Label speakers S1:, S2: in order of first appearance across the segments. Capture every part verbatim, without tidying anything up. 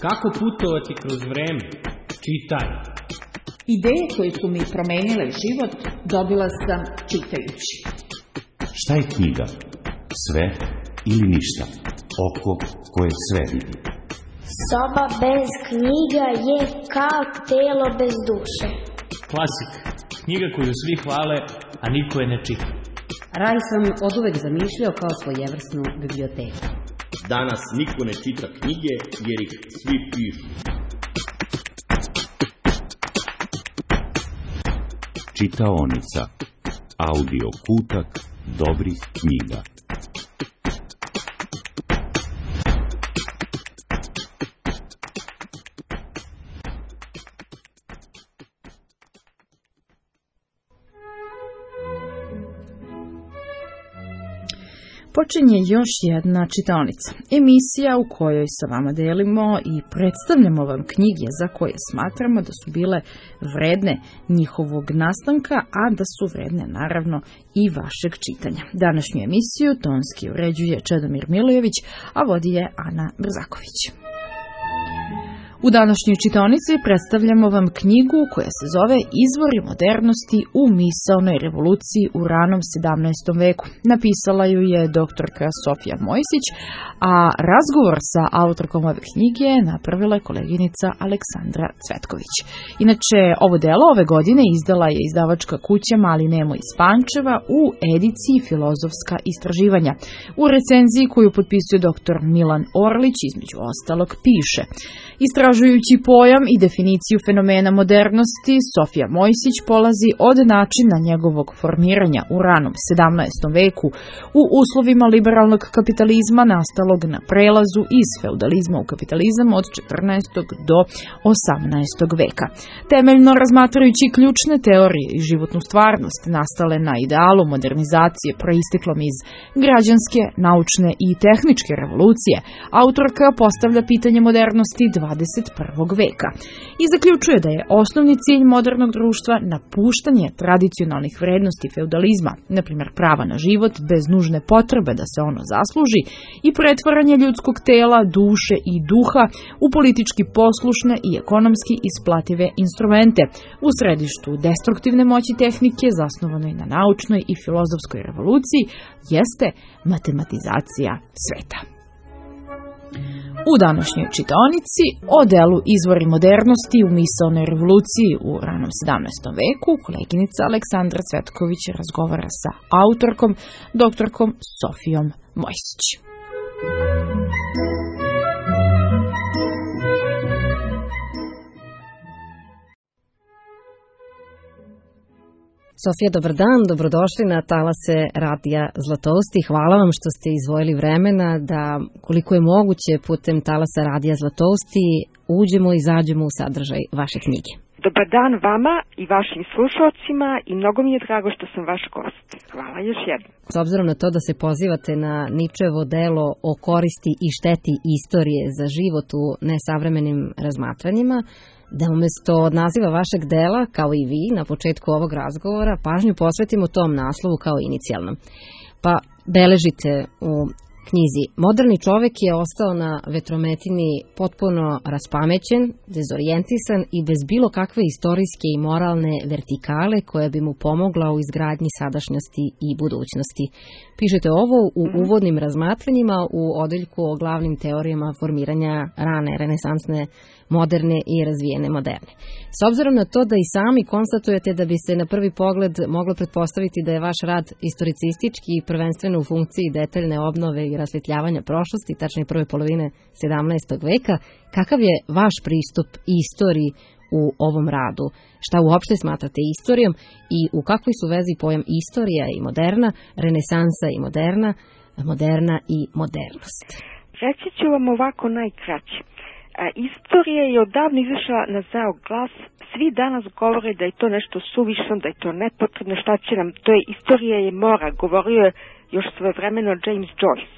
S1: Kako putovati kroz vreme? Čitaj.
S2: Ideje koje su mi promenile život dobila sam čitajući.
S3: Šta je knjiga? Sve ili ništa? Oko koje sve vidi.
S4: Soba bez knjiga je kao telo bez duše.
S1: Klasik. Knjiga koju svi hvale, a niko je ne čita.
S5: Raj sam oduvek zamišljao kao svojevrsnu biblioteku.
S6: Danas niko ne čita knjige jer ih svi pišu.
S3: Čitaonica. Audio kutak dobrih knjiga.
S7: Počinje još jedna čitaonica, emisija u kojoj sa vama delimo i predstavljamo vam knjige za koje smatramo da su bile vredne njihovog nastanka, a da su vredne naravno i vašeg čitanja. Današnju emisiju tonski uređuje Čedomir Milojević, a vodi je Ana Brzaković. U današnjoj čitaonici predstavljamo vam knjigu koja se zove Izvori modernosti u misaonoj revoluciji u ranom sedamnaestom veku. Napisala ju je doktorka Sofija Mojsić, a razgovor sa autorkom ove knjige napravila je koleginica Aleksandra Cvetković. Inače, ovo delo ove godine izdala je izdavačka kuća Mali Nemo iz Pančeva u ediciji Filozofska istraživanja. U recenziji koju potpisuje doktor Milan Orlić, između ostalog, piše: Istražujući pojam i definiciju fenomena modernosti, Sofija Mojsić polazi od načina njegovog formiranja u ranom sedamnaestom veku u uslovima liberalnog kapitalizma nastalog na prelazu iz feudalizma u kapitalizam od četrnaestog do osamnaestog veka. Temeljno razmatrajući ključne teorije i životnu stvarnost nastale na idealu modernizacije proisteklom iz građanske, naučne i tehničke revolucije, autorka postavlja pitanje modernosti dvadeset prvog veka i zaključuje da je osnovni cilj modernog društva napuštanje tradicionalnih vrednosti feudalizma, na primjer prava na život bez nužne potrebe da se ono zasluži, i pretvaranje ljudskog tela, duše i duha u politički poslušne i ekonomski isplative instrumente u središtu destruktivne moći tehnike zasnovanoj na naučnoj i filozofskoj revoluciji jeste matematizacija sveta. U današnjoj čitaonici o delu Izvori modernosti u misaonoj revoluciji u ranom sedamnaestom veku koleginica Aleksandra Cvetković razgovara sa autorkom, doktorkom Sofijom Mojsić.
S5: Sofija, dobar dan, dobrodošli na talase Radija Zlatosti. Hvala vam što ste izdvojili vremena da, koliko je moguće, putem talasa Radija Zlatosti uđemo i izađemo u sadržaj vaše knjige.
S8: Dobar dan vama i vašim slušalcima i mnogo mi je drago što sam vaš gost. Hvala još jednom.
S5: S obzirom na to da se pozivate na Ničevo delo o koristi i šteti istorije za život u nesavremenim razmatranjima, da umjesto od naziva vašeg dela, kao i vi na početku ovog razgovora, pažnju posvetimo tom naslovu kao inicijalnom. Pa beležite u knjizi: moderni čovjek je ostao na vetrometini potpuno raspamećen, dezorijentisan i bez bilo kakve istorijske i moralne vertikale koja bi mu pomogla u izgradnji sadašnjosti i budućnosti. Pišete ovo u uvodnim razmatranjima u odeljku o glavnim teorijama formiranja rane, renesansne, moderne i razvijene moderne. S obzirom na to da i sami konstatujete da bi se na prvi pogled moglo pretpostaviti da je vaš rad istoricistički i prvenstveno u funkciji detaljne obnove i rasvjetljavanja prošlosti, tačnije prve polovine sedamnaestog veka, kakav je vaš pristup istoriji u ovom radu? Šta uopšte smatrate istorijom i u kakvoj su vezi pojam istorija i moderna, renesansa i moderna, moderna i modernost?
S8: Reći ću vam ovako najkraće. Istorija je odavno izašla na zdrav glas. Svi danas govore da je to nešto suvišno, da je to nepotrebno, šta će nam, to je istorija je mora, govorio je još svojevremeno James Joyce.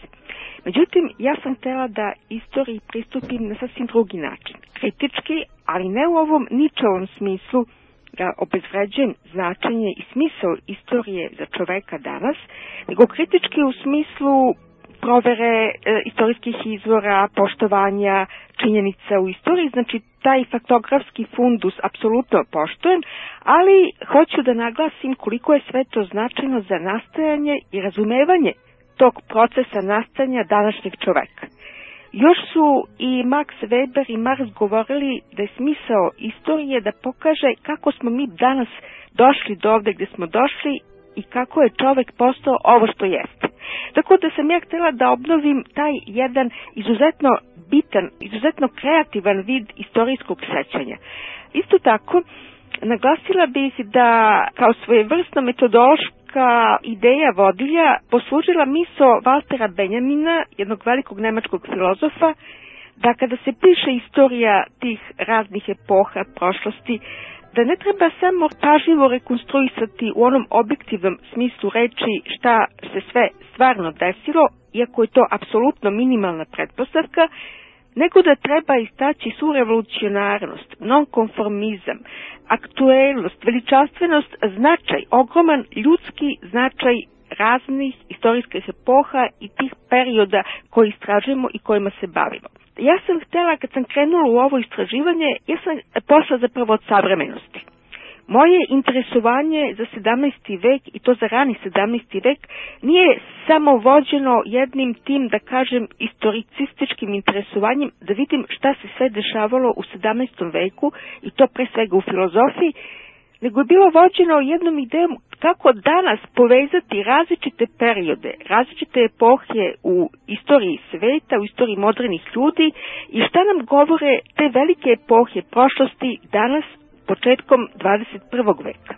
S8: Međutim, ja sam htjela da istoriji pristupim na sasvim drugi način. Kritički, ali ne u ovom Ničevom smislu da obezvređujem značenje i smisao istorije za čoveka danas, nego kritički u smislu provere e, istorijskih izvora, poštovanja činjenica u istoriji, znači taj faktografski fundus apsolutno poštujem, ali hoću da naglasim koliko je sve to značajno za nastajanje i razumevanje tog procesa nastajanja današnjeg čoveka. Još su i Max Weber i Marx govorili da je smisao istorije da pokaže kako smo mi danas došli do ovde gde smo došli i kako je čovek postao ovo što jeste. Tako da sam ja htjela da obnovim taj jedan izuzetno bitan, izuzetno kreativan vid istorijskog sećanja. Isto tako, naglasila bih da kao svojevrsna metodološka ideja vodilja poslužila misao Valtera Benjamina, jednog velikog nemačkog filozofa, da kada se piše istorija tih raznih epoha prošlosti, da ne treba samo pažljivo rekonstruisati u onom objektivnom smislu reči šta se sve stvarno desilo, iako je to apsolutno minimalna pretpostavka, nego da treba istaći svu revolucionarnost, nonkonformizam, aktuelnost, veličanstvenost, značaj, ogroman ljudski značaj raznih istorijskih epoha i tih perioda koji istražujemo i kojima se bavimo. Ja sam htjela, kad sam krenula u ovo istraživanje, ja sam pošla zapravo od savremenosti. Moje interesovanje za sedamnaesti vek, i to za rani sedamnaesti vek, nije samo vođeno jednim tim, da kažem, istoricističkim interesovanjem, da vidim šta se sve dešavalo u sedamnaestom veku, i to pre svega u filozofiji, nego je bilo vođeno jednom idejom kako danas povezati različite periode, različite epohe u istoriji sveta, u istoriji modernih ljudi i šta nam govore te velike epohe prošlosti danas, početkom dvadeset prvog veka.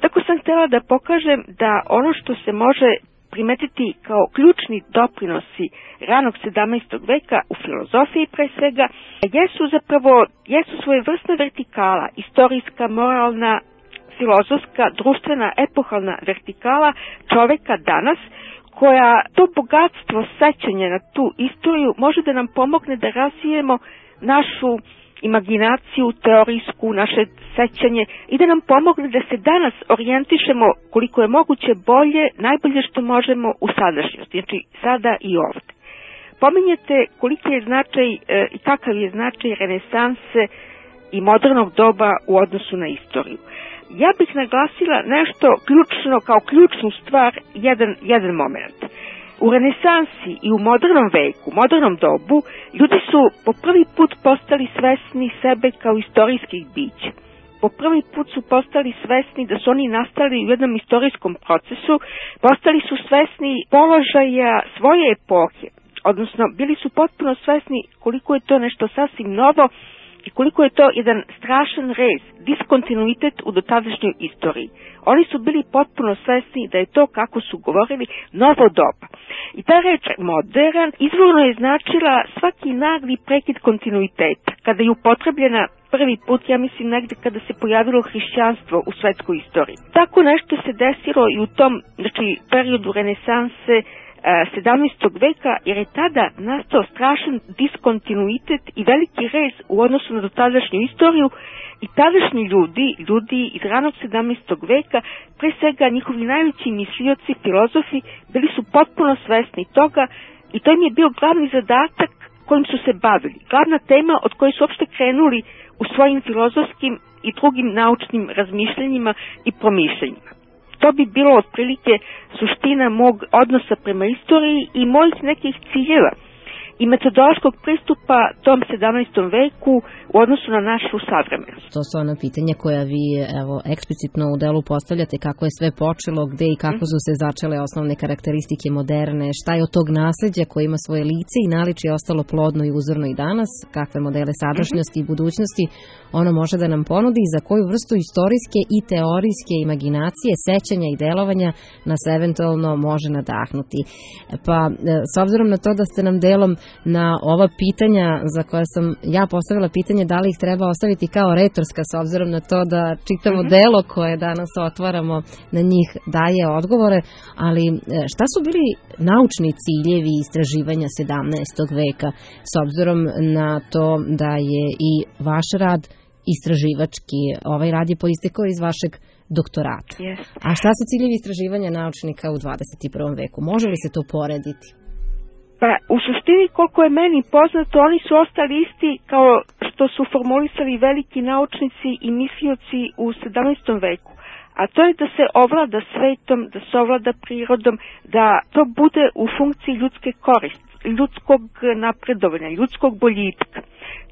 S8: Tako sam htjela da pokažem da ono što se može primetiti kao ključni doprinosi ranog sedamnaestog veka u filozofiji pre svega, jesu zapravo, jesu svojevrsna vertikala, istorijska, moralna, filozofska, društvena, epohalna vertikala čoveka danas, koja to bogatstvo sećanja na tu istoriju može da nam pomogne da razvijemo našu imaginaciju, teorijsku, naše sećanje i da nam pomogne da se danas orijentišemo koliko je moguće bolje, najbolje što možemo u sadašnjosti, znači sada i ovde. Pominjete koliki je značaj e, i kakav je značaj renesanse i modernog doba u odnosu na istoriju. Ja bih naglasila nešto ključno, kao ključnu stvar, jedan, jedan moment. U renesansi i u modernom veku, modernom dobu, ljudi su po prvi put postali svesni sebe kao istorijskih bića. Po prvi put su postali svesni da su oni nastali u jednom istorijskom procesu, postali su svesni položaja svoje epohe, odnosno bili su potpuno svesni koliko je to nešto sasvim novo i koliko je to jedan strašan rez, diskontinuitet u dotadašnjoj istoriji. Oni su bili potpuno svesni da je to, kako su govorili, novo doba. I ta reč modern izvorno je značila svaki nagli prekid kontinuiteta. Kada je upotrebljena prvi put, ja mislim negde kada se pojavilo hrišćanstvo u svetskoj istoriji. Tako nešto se desilo i u tom, znači, periodu renesanse, sedamnaestog veka, jer je tada nastao strašan diskontinuitet i veliki rez u odnosu na dotadašnju istoriju i tadašnji ljudi, ljudi iz ranog sedamnaestog veka, pre svega njihovi najveći mislioci, filozofi, bili su potpuno svesni toga i to im je bio glavni zadatak kojim su se bavili. Glavna tema od koje su uopšte krenuli u svojim filozofskim i drugim naučnim razmišljanjima i promišljanjima. To bi bilo otprilike suština mog odnosa prema istoriji i mojih nekih ciljeva i metodološkog pristupa tom sedamnaestom veku u odnosu na našu savremenost.
S5: To su ona pitanja koja vi evo eksplicitno u delu postavljate, kako je sve počelo, gde i kako su se začele osnovne karakteristike moderne, šta je od tog nasleđa koje ima svoje lice i naličje ostalo plodno i uzorno i danas, kakve modele sadašnjosti i budućnosti ono može da nam ponudi i za koju vrstu istorijske i teorijske imaginacije, sećanja i delovanja nas eventualno može nadahnuti. Pa s obzirom na to da ste nam delom na ova pitanja za koja sam ja postavila pitanje da li ih treba ostaviti kao retorska, s obzirom na to da čitavo uh-huh. delo koje danas otvaramo na njih daje odgovore, ali šta su bili naučni ciljevi istraživanja sedamnaestog veka, s obzirom na to da je i vaš rad istraživački, ovaj rad je poistekao iz vašeg doktorata.
S8: Yes.
S5: A šta su ciljevi istraživanja naučnika u dvadeset prvom veku? Može li se to porediti?
S8: Pa u suštini, koliko je meni poznato, oni su ostali isti kao što su formulisali veliki naučnici i mislioci u sedamnaestom veku. A to je da se ovlada svetom, da se ovlada prirodom, da to bude u funkciji ljudske koristi, ljudskog napredovanja, ljudskog boljitka.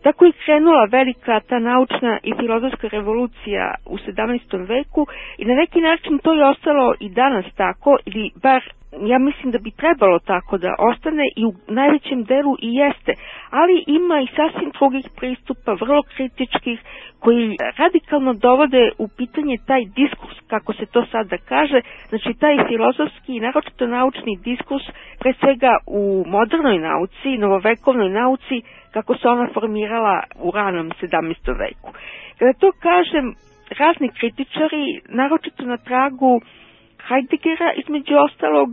S8: Tako je krenula velika ta naučna i filozofska revolucija u sedamnaestom veku i na neki način to je ostalo i danas tako, ili bar ja mislim da bi trebalo tako da ostane i u najvećem delu i jeste, ali ima i sasvim drugih pristupa, vrlo kritičkih, koji radikalno dovode u pitanje taj diskurs, kako se to sada kaže, znači taj filozofski i naročito naučni diskurs, pre svega u modernoj nauci, novovekovnoj nauci, kako se ona formirala u ranom sedamnaestom veku. Kada to kažem, razni kritičari, naročito na tragu Heideggera, između ostalog,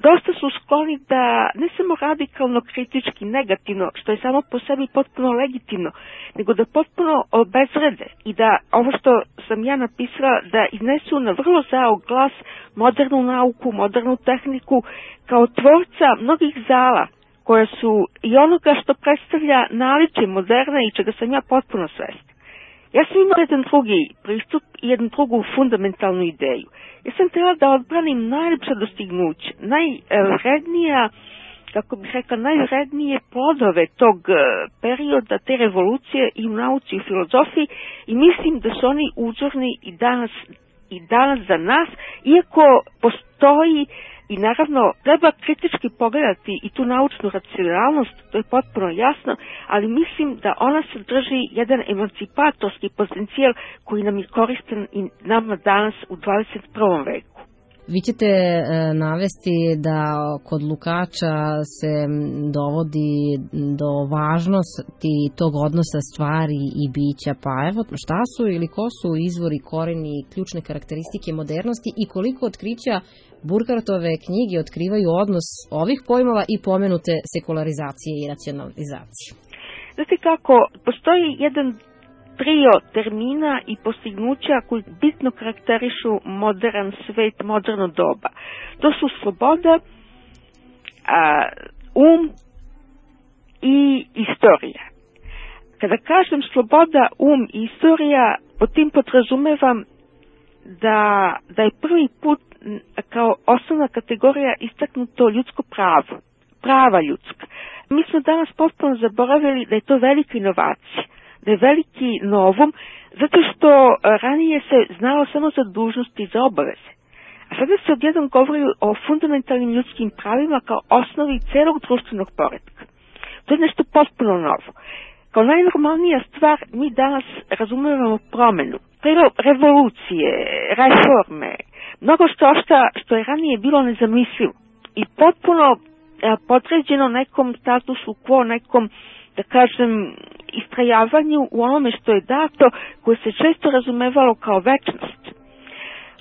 S8: dosta su skloni da ne samo radikalno kritički negativno, što je samo po sebi potpuno legitimno, nego da potpuno obezvrede i da ovo što sam ja napisala, da iznesu na vrlo zao glas modernu nauku, modernu tehniku, kao tvorca mnogih zala, koja su i onoga što predstavlja naličje moderne i čega sam ja potpuno svesna. Ja sam imala jedan drugi pristup i jednu drugu fundamentalnu ideju. Ja sam htjela da odbranim najljepša dostignuća, najvrednija, kako bih rekla, najvrednije plodove tog perioda, te revolucije i u nauci i u filozofiji, i mislim da su oni uzorni i danas, i danas za nas, iako postoji i naravno treba kritički pogledati i tu naučnu racionalnost, to je potpuno jasno, ali mislim da ona sadrži jedan emancipatorski potencijal koji nam je koristan i nama danas u dvadeset prvom veku.
S5: Vi ćete e, navesti da kod Lukáča se dovodi do važnosti tog odnosa stvari i bića, pa evo šta su ili ko su izvori, koreni i ključne karakteristike modernosti i koliko otkrića Burkhartove knjige otkrivaju odnos ovih pojmova i pomenute sekularizacije i racionalizacije.
S8: Znate kako, postoji jedan trio termina i postignuća koji bitno karakterišu modern svet, moderno doba. To su sloboda, a, um i istorija. Kada kažem sloboda, um i istorija, po tim podrazumevam da, da je prvi put kao osnovna kategorija istaknuto ljudsko pravo, prava ljudska. Mi smo danas potpuno zaboravili da je to velika inovacija, da je veliki novum, zato što ranije se znalo samo za dužnosti i za obaveze. A sada se odjednom govori o fundamentalnim ljudskim pravima kao osnovi celog društvenog poretka. To je nešto potpuno novo. Kao najnormalnija stvar mi danas razumijemo promenu, revolucije, reforme, mnogo što ošta što je ranije bilo nezamislivo i potpuno podređeno nekom statusu quo, nekom, da kažem, istrajavanju u onome što je dato, koje se često razumevalo kao večnost.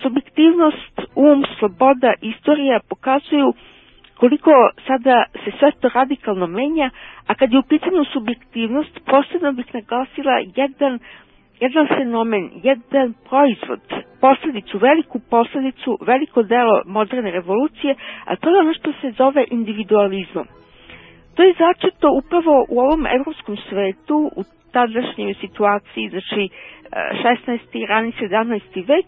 S8: Subjektivnost, um, sloboda, istorija pokazuju koliko sada se sve to radikalno menja, a kad je u pitanju subjektivnost, posebno bih naglasila jedan, jedan fenomen, jedan proizvod, posljedicu, veliku posljedicu, veliko delo moderne revolucije, a to je ono što se zove individualizmom. To je začeto upravo u ovom evropskom svetu, u tadašnjoj situaciji, znači šesnaesti. rani sedamnaesti. vek,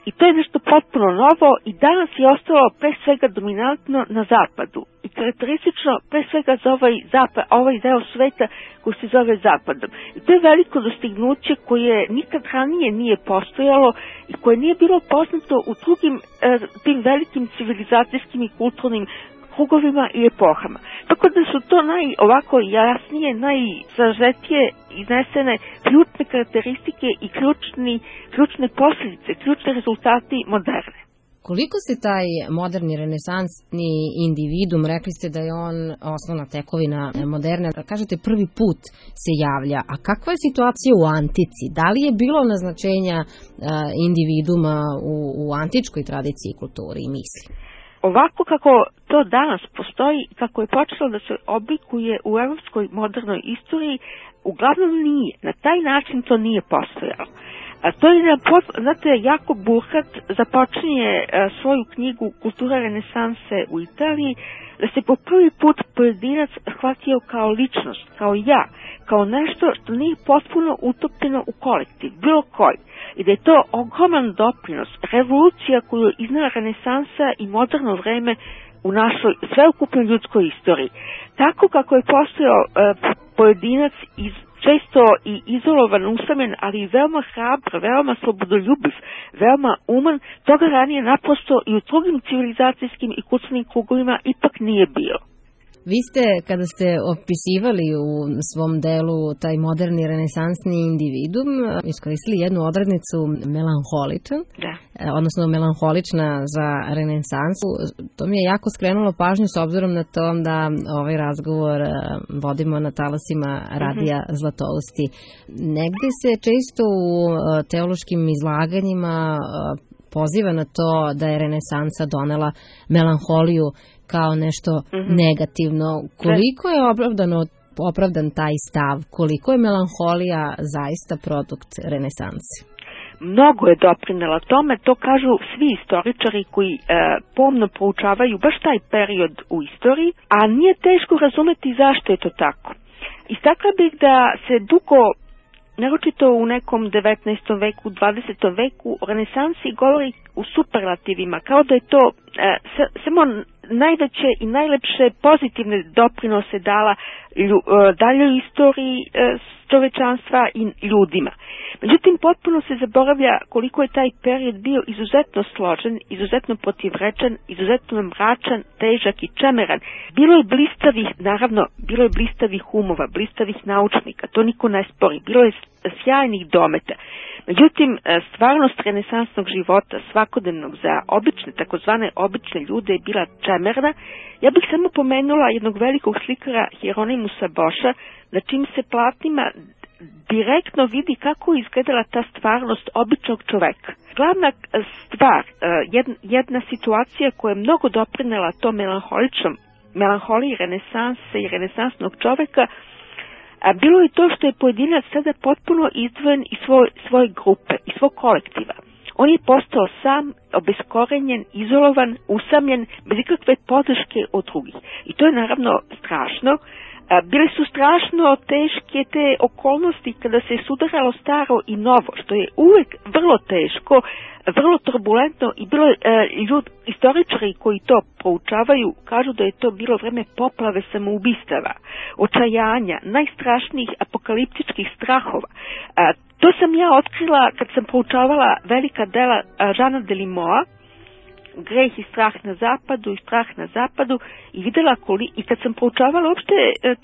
S8: i to je nešto potpuno novo i danas je ostalo pre svega dominantno na zapadu i karakteristično pre svega za ovaj, zapad, ovaj deo sveta koji se zove zapadom. I to je veliko dostignuće koje nikad ranije nije postojalo i koje nije bilo poznato u drugim e, tim velikim civilizacijskim i kulturnim krugovima i epohama. Tako da su to naj, ovako jasnije, najsažetije iznesene ključne karakteristike i ključni, ključne posljedice, ključni rezultati moderne.
S5: Koliko se taj moderni renesansni individum, rekli ste da je on osnovna tekovina moderne, kažete prvi put se javlja, a kakva je situacija u antici? Da li je bilo naznačenja individuma u, u antičkoj tradiciji, kulturi i misli?
S8: Ovako kako to danas postoji, kako je počelo da se oblikuje u evropskoj modernoj istoriji, uglavnom nije. Na taj način to nije postojalo. A to je, znate, Jakub Burhat započinje svoju knjigu Kultura renesanse u Italiji, da se po prvi put pojedinac shvatio kao ličnost, kao ja, kao nešto što nije potpuno utopljeno u kolektiv, bilo koji. I da je to ogroman doprinos, revolucija koju je iznala renesansa i moderno vreme u našoj sveukupnoj ljudskoj istoriji. Tako kako je postojao e, pojedinac iz često i izolovan, usamljen, ali i veoma hrabar, veoma slobodoljubiv, veoma uman, toga ranije naprosto i u drugim civilizacijskim i kulturnim krugovima ipak nije bilo.
S5: Vi ste, kada ste opisivali u svom delu taj moderni renesansni individum, iskoristili jednu odrednicu melanholičan,
S8: da.
S5: odnosno melanholična za renesansu. To mi je jako skrenulo pažnju s obzirom na to da ovaj razgovor vodimo na talasima radija mm-hmm. Zlatousti. Negde se često u teološkim izlaganjima poziva na to da je renesansa donela melanholiju kao nešto mm-hmm. negativno. Koliko je opravdano, opravdan taj stav? Koliko je melanholija zaista produkt renesanse?
S8: Mnogo je doprinela tome, to kažu svi istoričari koji e, pomno proučavaju baš taj period u istoriji, a nije teško razumeti zašto je to tako. Istakla bih da se dugo, naročito u nekom devetnaestom veku, dvadesetom veku, o renesansi govori u superlativima, kao da je to e, samo najveće i najlepše pozitivne doprinose dala lju, e, daljoj istoriji e, čovečanstva i ljudima. Međutim, potpuno se zaboravlja koliko je taj period bio izuzetno složen, izuzetno protivrečan, izuzetno mračan, težak i čemeran. Bilo je blistavih, naravno, bilo je blistavih umova, blistavih naučnika, to niko ne spori, bilo je sjajnih dometa. Međutim, stvarnost renesansnog života, svakodnevnog za obične, takozvane obične ljude je bila čemerna. Ja bih samo pomenula jednog velikog slikara Hieronymusa Boša, na čim se platnima direktno vidi kako je izgledala ta stvarnost običnog čoveka. Glavna stvar, jedna, jedna situacija koja je mnogo doprinela to melanholičnom, melanholiji renesanse i renesansnog čoveka, a bilo je to što je pojedinac sada potpuno izdvojen iz svoj, svoje grupe, iz svog kolektiva. On je postao sam, obeskorenjen, izolovan, usamljen, bez ikakve podrške od drugih. I to je naravno strašno. Bile su strašno teške te okolnosti kada se sudaralo staro i novo, što je uvek vrlo teško, vrlo turbulentno i bilo e, ljud, istoričari koji to proučavaju kažu da je to bilo vreme poplave samoubistava, očajanja, najstrašnijih apokaliptičkih strahova. A, to sam ja otkrila kad sam proučavala velika dela Žana Delimoa, Greh i strah na zapadu i strah na zapadu i videla koli, i kad sam proučavala uopšte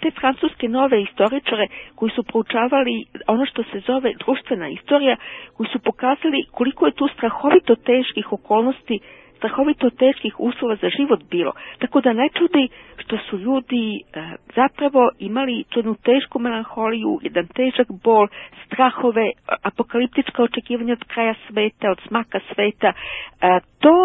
S8: te francuske nove istoričare koji su proučavali ono što se zove društvena istorija, koji su pokazali koliko je tu strahovito teških okolnosti, strahovito teških uslova za život bilo. Tako da ne čudi što su ljudi e, zapravo imali jednu tešku melanholiju, jedan težak bol, strahove, apokaliptička očekivanja od kraja sveta, od smaka sveta. E, to,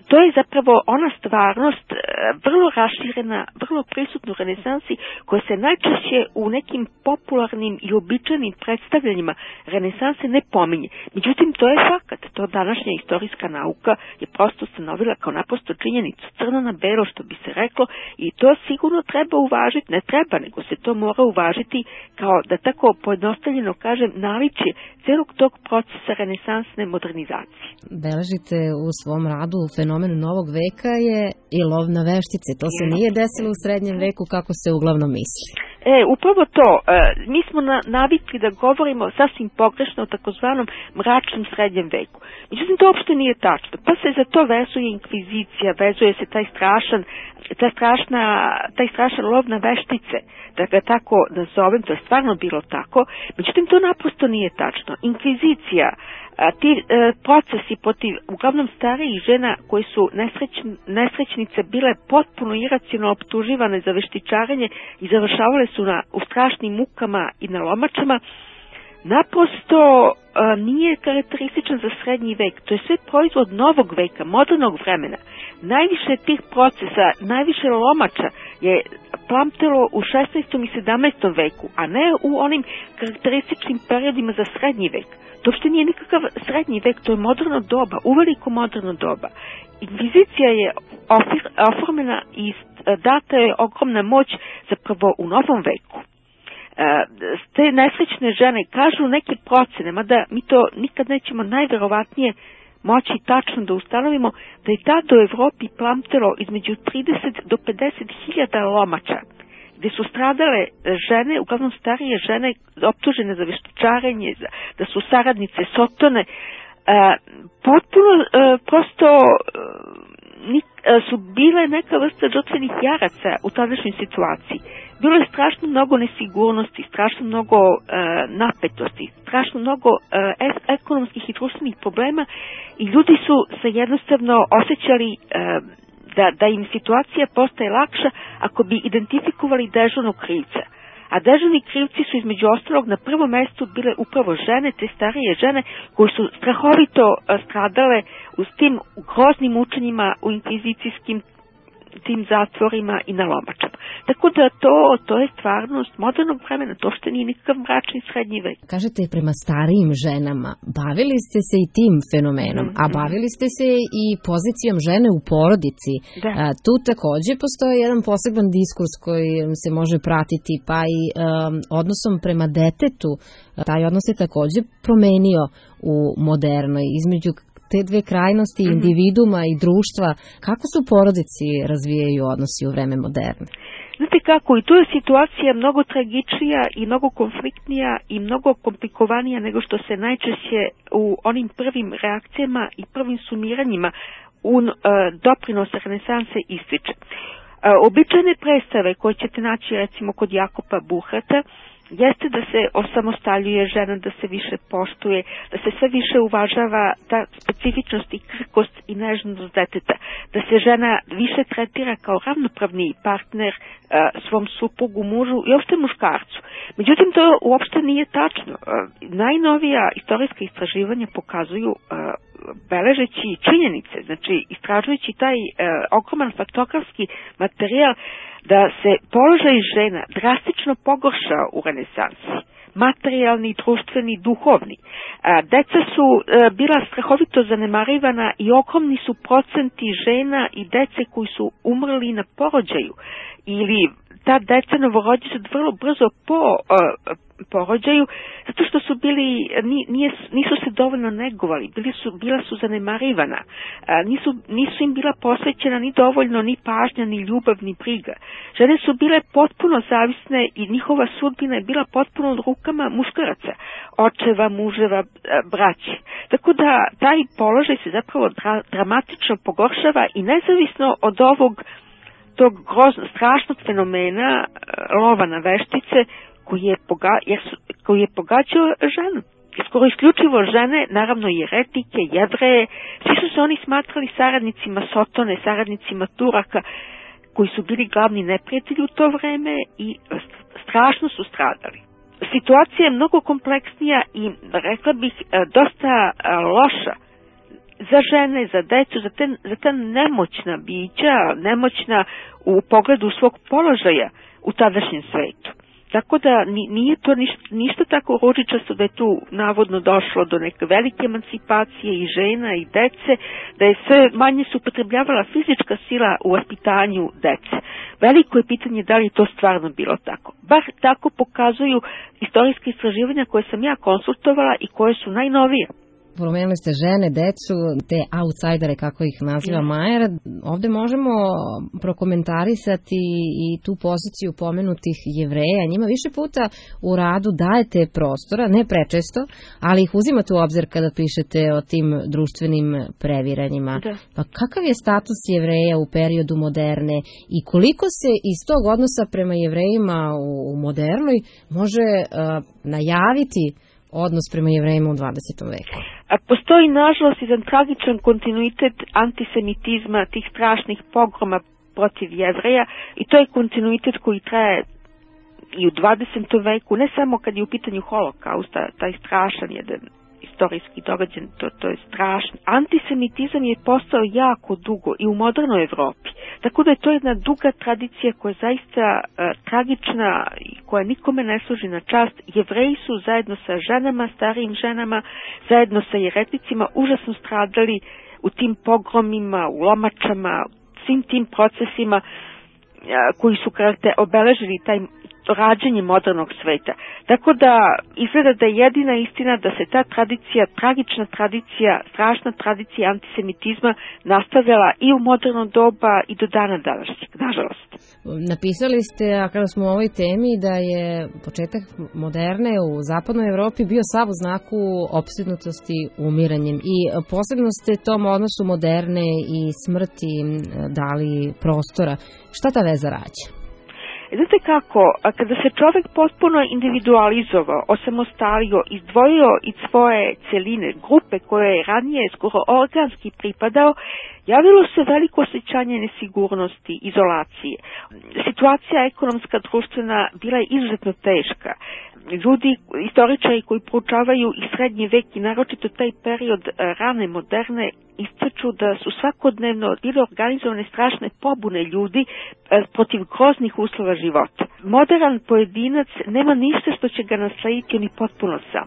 S8: to je zapravo ona stvarnost e, vrlo raširena, vrlo prisutna u renesansi, koja se najčešće u nekim popularnim i običajnim predstavljanjima renesanse ne pominje. Međutim, to je fakat. To današnja istorijska nauka je prosto ustanovila kao naprosto činjenicu, crno na belo, što bi se reklo, i to sigurno treba uvažiti, ne treba, nego se to mora uvažiti kao, da tako pojednostavljeno kažem, naličje celog tog procesa renesansne modernizacije.
S5: Beležite u svom radu fenomen novog veka je i lov na veštice. To se nije desilo u srednjem veku kako se uglavnom misli.
S8: E, upravo to. E, mi smo na, navikli da govorimo sasvim pogrešno o takozvanom mračnom srednjem veku. Međutim, to uopšte nije tačno. Pa se za to vezuje inkvizicija, vezuje se taj strašan, ta strašna, taj strašan lov na veštice, da ga tako nazovem, to je stvarno bilo tako. Međutim, to naprosto nije tačno. Inkvizicija, a, ti e, procesi protiv uglavnom starijih žena koji su nesrećn, nesrećnice bile potpuno iracionalno optuživane za veštičarenje i završavale su na, u strašnim mukama i na lomačama, naprosto a, nije karakterističan za srednji vek. To je sve proizvod novog veka, modernog vremena. Najviše tih procesa, najviše lomača je plamtelo u šesnaestom i sedamnaestom veku, a ne u onim karakterističnim periodima za srednji vek. To što nije nikakav srednji vek, to je moderno doba, uveliko moderno doba. Inkvizicija je oformena i data je ogromna moć zapravo u novom veku. Te nesrećne žene kažu neke procene, mada mi to nikad nećemo najverovatnije moći tačno da ustanovimo, da je tada u Evropi plamtelo između trideset do pedeset hiljada lomača, gde su stradale žene, uglavnom starije žene, optužene za veštačarenje, da su saradnice Sotone. Potpuno prosto su bile neka vrsta žrtvenih jaraca u tadašnjoj situaciji. Bilo je strašno mnogo nesigurnosti, strašno mnogo e, napetosti, strašno mnogo e, ekonomskih i društvenih problema i ljudi su se jednostavno osjećali e, da, da im situacija postaje lakša ako bi identifikovali dežurnog krivca. A dežurni krivci su između ostalog na prvom mestu bile upravo žene, te starije žene koje su strahovito stradale u tim groznim učenjima u inkvizicijskim tim zatvorima i na lomačama. Tako da to, to je stvarnost modernog vremena, to što nije nikakav mračni srednji vek.
S5: Kažete, prema starijim ženama, bavili ste se i tim fenomenom, mm-hmm. a bavili ste se i pozicijom žene u porodici. Da. A, tu takođe postoji jedan poseban diskurs koji se može pratiti, pa i um, odnosom prema detetu. Taj odnos se takođe promenio u modernoj, između te dve krajnosti, mm-hmm. individuma i društva. Kako su porodici razvijaju odnosi u vreme moderne?
S8: Znate kako, i tu je situacija mnogo tragičnija i mnogo konfliktnija i mnogo komplikovanija nego što se najčešće u onim prvim reakcijama i prvim sumiranjima u uh, doprinosa renesanse ističe. Uh, običajne predstave koje ćete naći recimo kod Jakopa Buhrata jeste da se osamostaljuje žena, da se više poštuje, da se sve više uvažava ta specifičnost i krhkost i nežnost deteta, da se žena više tretira kao ravnopravni partner uh, svom suprugu, mužu i uopšte muškarcu. Međutim, to uopšte nije tačno. Uh, najnovija istorijska istraživanja pokazuju, uh, beležeći činjenice, znači istražujući taj uh, ogroman faktografski materijal, da se položaj žena drastično pogoršao u renesansi, materijalni, društveni, duhovni. A, deca su a, bila strahovito zanemarivana i ogromni su procenti žena i dece koji su umrli na porođaju ili ta deca novorođena vrlo brzo po a, porođaju, zato što su bili, nije, nisu se dovoljno negovali, bili su, bila su zanemarivana, a, nisu, nisu im bila posvećena ni dovoljno ni pažnja, ni ljubav, ni briga. Žene su bile potpuno zavisne i njihova sudbina je bila potpuno u rukama muškaraca, očeva, muževa, braće. Tako da taj položaj se zapravo dra, dramatično pogoršava i nezavisno od ovog tog grozno, strašnog fenomena lova na veštice koji je, poga, jer su, koji je pogađao ženu. Skoro isključivo žene, naravno i eretike, Jevreje, svi su se oni smatrali saradnicima Sotone, saradnicima Turaka, koji su bili glavni neprijatelji u to vreme i strašno su stradali. Situacija je mnogo kompleksnija i, rekla bih, dosta loša za žene, za decu, za, te, za ta nemoćna bića, nemoćna u pogledu svog položaja u tadašnjem svetu. Tako da nije to ništa, ništa tako ružičasto da je tu navodno došlo do neke velike emancipacije i žena i dece, da je sve manje se upotrebljavala fizička sila u vaspitanju dece. Veliko je pitanje da li je to stvarno bilo tako. Bar tako pokazuju istorijske istraživanja koje sam ja konsultovala i koje su najnovije.
S5: Pomenuli ste žene, decu, te outsidere, kako ih naziva Majer. Ovde možemo prokomentarisati i tu poziciju pomenutih Jevreja. Njima više puta u radu dajete prostora, ne prečesto, ali ih uzimate u obzir kada pišete o tim društvenim previranjima. Da. Pa kakav je status Jevreja u periodu moderne i koliko se iz tog odnosa prema Jevrejima u modernoj može uh, najaviti odnos prema Jevrejima u dvadesetom veku?
S8: A postoji, nažalost, jedan tragičan kontinuitet antisemitizma, tih strašnih pogroma protiv Jevreja, i to je kontinuitet koji traje i u dvadesetom veku, ne samo kad je u pitanju holokausta, taj strašan jedan istorijski događaj, to, to je strašno. Antisemitizam je postao jako dugo i u modernoj Evropi. Tako da je to jedna duga tradicija koja je zaista uh, tragična i koja nikome ne služi na čast. Jevreji su zajedno sa ženama, starijim ženama, zajedno sa jeretnicima užasno stradali u tim pogromima, u lomačama, svim tim procesima koji su karakter, obeležili taj rađenje modernog sveta. Tako da izgleda da je jedina istina da se ta tradicija, tragična tradicija, strašna tradicija antisemitizma nastavljala i u moderno doba i do dana današnjeg, nažalost.
S5: Napisali ste, a kada smo u ovoj temi, da je početak moderne u zapadnoj Evropi bio sav u znaku opsjednutosti umiranjem i posebno ste tom odnosu moderne i smrti dali prostora. Šta ta veza rađa?
S8: Znate kako, kada se čovjek potpuno individualizovao, osamostalio, izdvojio iz svoje celine, grupe koje je ranije skoro organski pripadao, javilo se veliko osjećanje nesigurnosti, izolacije. Situacija ekonomska, društvena bila je izuzetno teška. Ljudi, istoričari koji proučavaju i srednji vek i naročito taj period rane moderne ističu da su svakodnevno bile organizovane strašne pobune ljudi protiv groznih uslova života. Modern pojedinac nema ništa što će ga naslediti, on je potpuno sam.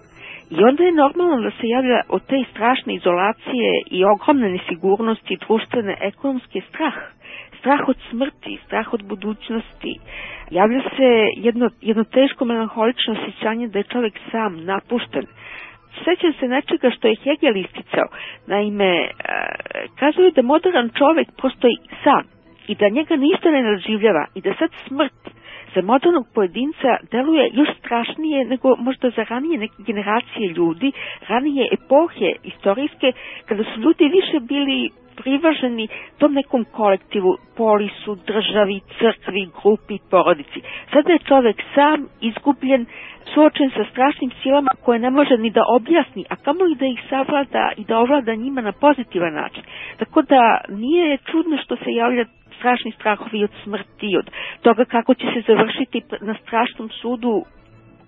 S8: I onda je normalno da se javlja od te strašne izolacije i ogromne nesigurnosti, društvene, ekonomske strah. Strah od smrti, strah od budućnosti. Javlja se jedno, jedno teško melanholično osjećanje da je čovjek sam, napušten. Sjećam se nečega što je Hegel isticao. Naime, kazuje da modern čovjek postoji sam i da njega ništa ne nadživljava i da sad smrt za modernog pojedinca deluje još strašnije nego možda za ranije neke generacije ljudi, ranije epohe istorijske, kada su ljudi više bili privaženi tom nekom kolektivu, polisu, državi, crkvi, grupi, porodici. Sada je čovjek sam, izgubljen, suočen sa strašnim silama koje ne može ni da objasni, a kamoli da ih savlada i da ovlada njima na pozitivan način. Tako da nije čudno što se javlja strašni strahovi od smrti, od toga kako će se završiti na strašnom sudu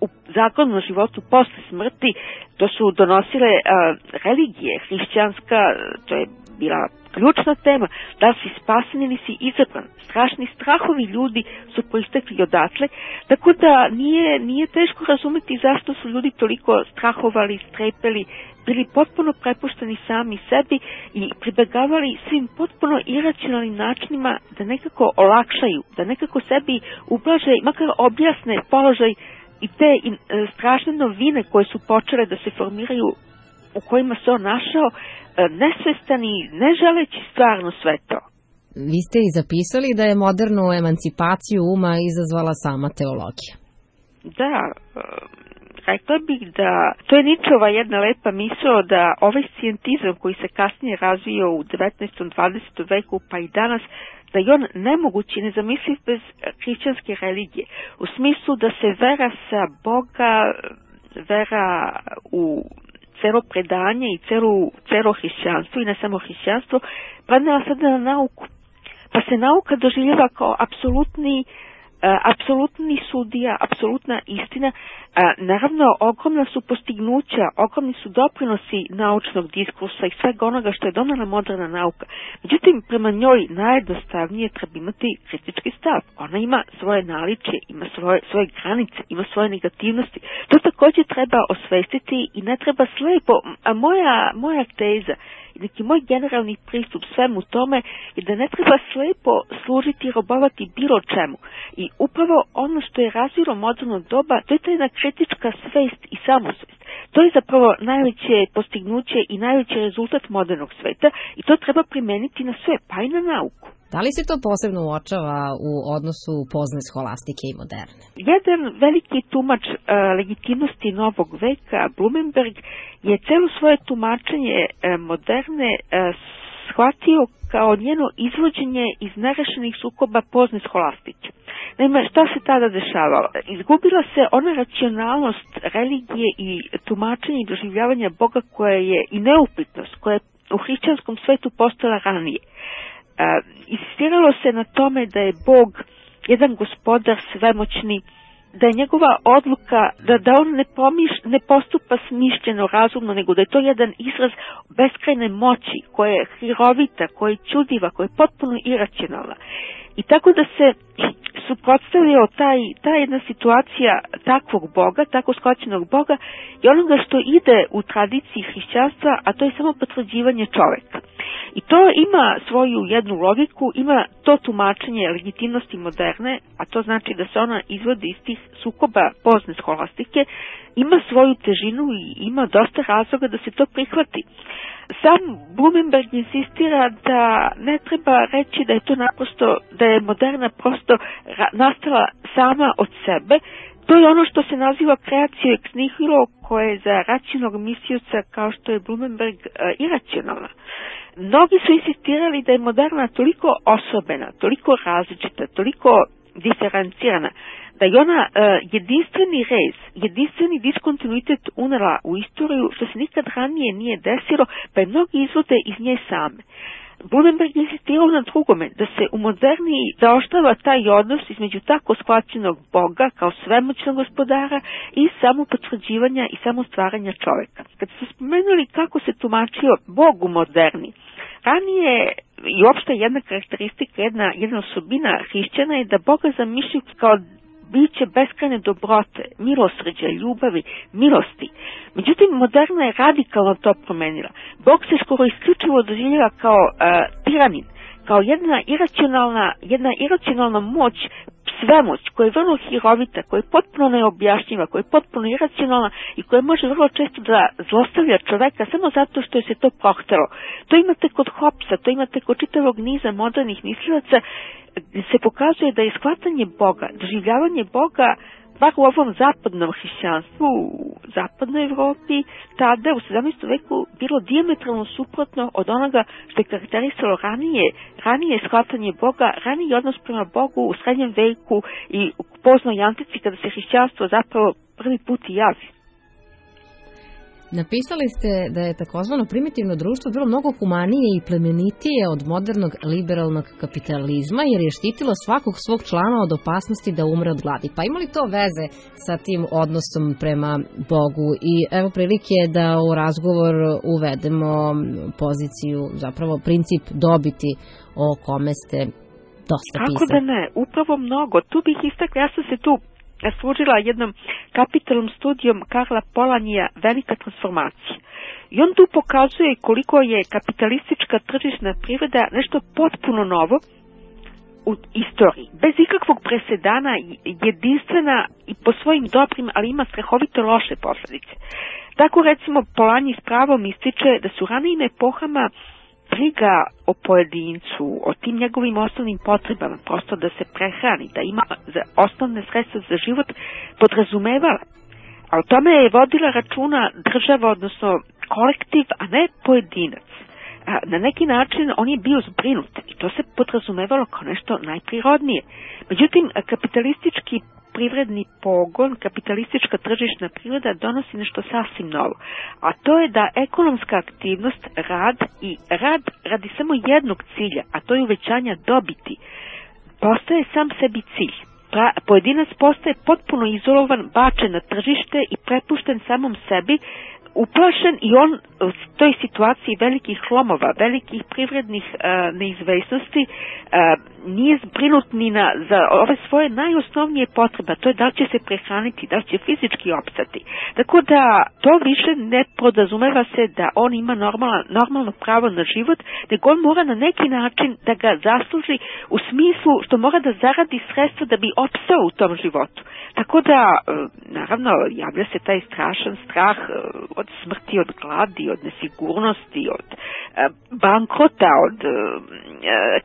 S8: u zakonom životu posle smrti. To su donosile a, religije, hrišćanska, to je bila ključna tema, da li si spasen ili si izabran. Strašni strahovi ljudi su proistekli odatle, tako da nije, nije teško razumeti zašto su ljudi toliko strahovali, strepeli, bili potpuno prepušteni sami sebi i pribegavali svim potpuno iracionalnim načinima da nekako olakšaju, da nekako sebi ublaže, makar objasne položaj i te e, strašne novine koje su počele da se formiraju, u kojima se on našao, e, nesvestani, ne želeći stvarno sve to.
S5: Vi ste i zapisali da je modernu emancipaciju uma izazvala sama teologija.
S8: Da, e, rekla bih da to je Ničova jedna lepa misao da ovaj scijentizam koji se kasnije razvio u devetnaestom. dvadesetom veku pa i danas, da je on nemogući i nezamisliv bez hrišćanske religije. U smislu da se vera sa Boga, vera u celo predanje i celo, celo hrišćanstvo i ne samo hrišćanstvo, prenela sada na nauku. Pa se nauka doživljava kao apsolutni apsolutni sudija, apsolutna istina. Naravno, ogromna su postignuća, ogromni su doprinosi naučnog diskursa i svega onoga što je donela moderna nauka. Međutim, prema njoj najjednostavnije treba imati kritički stav. Ona ima svoje naličje, ima svoje, svoje granice, ima svoje negativnosti. To također treba osvestiti i ne treba slepo. A moja, moja teza i neki moj generalni pristup svemu tome je da ne treba slepo služiti i robovati bilo čemu. I upravo ono što je razvilo moderno doba, to je ta jedna kritička svest i samosvest. To je zapravo najveće postignuće i najveći rezultat modernog sveta i to treba primeniti na sve, pa i na nauku.
S5: Da li se to posebno uočava u odnosu pozne scholastike i moderne?
S8: Jedan veliki tumač uh, legitimnosti novog veka, Blumenberg, je celo svoje tumačenje uh, moderne uh, shvatio kao njeno izvođenje iz nerešenih sukoba pozne scholastike. Naime, šta se tada dešavalo? Izgubila se ona racionalnost religije i tumačenja i doživljavanja Boga koja je i neupitnost, koja je u hrišćanskom svetu postojala ranije. Uh, insistiralo se na tome da je Bog jedan gospodar svemoćni, da je njegova odluka da, da on ne, pomiš, ne postupa smišljeno, razumno, nego da je to jedan izraz beskrajne moći koja je hirovita, koja je čudiva, koja je potpuno iracionalna. I tako da se suprotstavio taj, ta jedna situacija takvog Boga, tako shvaćenog Boga i onoga što ide u tradiciji hrišćanstva, a to je samo potvrđivanje čoveka. I to ima svoju jednu logiku, ima to tumačenje legitimnosti moderne, a to znači da se ona izvodi iz tih sukoba pozne skolastike, ima svoju težinu i ima dosta razloga da se to prihvati. Sam Blumenberg insistira da ne treba reći da je to naprosto, da je moderna prosto nastala sama od sebe. To je ono što se naziva kreacija ex nihilo, koja je za racionalnog mislioca kao što je Blumenberg iracionalna. Mnogi su insistirali da je moderna toliko osobena, toliko različita, toliko diferencirana, da je ona uh, jedinstveni rez, jedinstveni diskontinuitet unela u istoriju, što se nikad ranije nije desilo, pa je mnogi izvode iz nje same. Blumenberg insistirao na drugome, da se u moderniji zaoštrava taj odnos između tako shvaćenog Boga kao svemoćnog gospodara i samo potvrđivanja i samo stvaranja čoveka. Kad ste spomenuli kako se tumačio Bog u moderni, ranije i uopšte jedna karakteristika, jedna, jedna osobina hrišćana je da Boga zamišljaju kao biće beskrajne dobrote, milosrđa, ljubavi, milosti. Međutim, moderna je radikalno to promenila. Bog se skoro isključivo doživljava kao uh, tiranin, kao jedna iracionalna, jedna iracionalna moć, svemoć, koja je vrlo hirovita, koja je potpuno neobjašnjiva, koja je potpuno iracionalna i koja može vrlo često da zlostavlja čoveka samo zato što je se to prohtelo. To imate kod Hobbesa, to imate kod čitavog niza modernih mislilaca, se pokazuje da je shvatanje Boga, doživljavanje Boga, bar u ovom zapadnom hrišćanstvu, u zapadnoj Evropi, tada u sedamnaestom veku bilo dijametralno suprotno od onoga što je karakterisalo ranije, ranije shvatanje Boga, raniji odnos prema Bogu u srednjem veku i u poznoj antici kada se hrišćanstvo zapravo prvi put i javi.
S5: Napisali ste da je takozvano primitivno društvo bilo mnogo humanije i plemenitije od modernog liberalnog kapitalizma jer je štitilo svakog svog člana od opasnosti da umre od gladi. Pa ima li to veze sa tim odnosom prema Bogu? I evo prilike da u razgovor uvedemo poziciju, zapravo princip dobiti o kome ste dosta pisali.
S8: Kako da ne? Upravo mnogo. Tu bih istakla, ja sam se tu služila jednom kapitalnom studijom Karla Polanija Velika transformacija. I on tu pokazuje koliko je kapitalistička tržišna privreda nešto potpuno novo u istoriji. Bez ikakvog presedana, jedinstvena i po svojim dobrim, ali ima strahovito loše posljedice. Tako recimo Polanji s pravom ističe da su ranijim epohama briga o pojedincu, o tim njegovim osnovnim potrebama, prosto da se prehrani, da ima osnovne sredstva za život, podrazumevala. A o tome je vodila računa država, odnosno kolektiv, a ne pojedinac. A na neki način on je bio zbrinut i to se podrazumevalo kao nešto najprirodnije. Međutim, kapitalistički privredni pogon, kapitalistička tržišna priroda donosi nešto sasvim novo. A to je da ekonomska aktivnost, rad i rad radi samo jednog cilja, a to je uvećanja dobiti, postaje sam sebi cilj. Pojedinac postaje potpuno izolovan, bačen na tržište i prepušten samom sebi, uplašen i on u toj situaciji velikih lomova, velikih privrednih uh, neizvesnosti uh, nije zbrinut ni na, za ove svoje najosnovnije potrebe, to je da li će se prehraniti, da li će fizički opstati. Tako da to više ne podrazumeva se da on ima normalno, normalno pravo na život, nego on mora na neki način da ga zasluži u smislu što mora da zaradi sredstva da bi opstao u tom životu. Tako da, uh, naravno, javlja se taj strašan strah uh, od smrti, od gladi, od nesigurnosti, od e, bankrota, od e,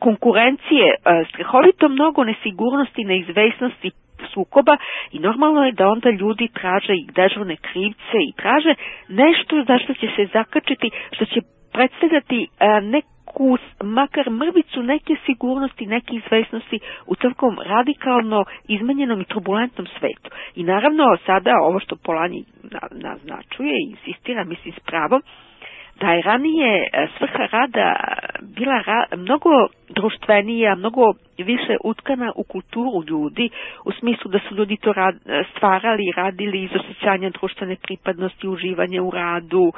S8: konkurencije, e, strahovito mnogo nesigurnosti, neizvesnosti, sukoba i normalno je da onda ljudi traže i dežurne krivce i traže nešto za što će se zakačiti, što će predstavljati e, neku, makar mrvicu neke sigurnosti, neke izvesnosti u takvom radikalno izmenjenom i turbulentnom svetu. I naravno sada ovo što Polanji naznačuje i insistira, mislim s pravom, da je ranije svrha rada bila ra, mnogo društvenija, mnogo više utkana u kulturu ljudi, u smislu da su ljudi to rad, stvarali i radili iz osjećanja društvene pripadnosti, uživanja u radu, um,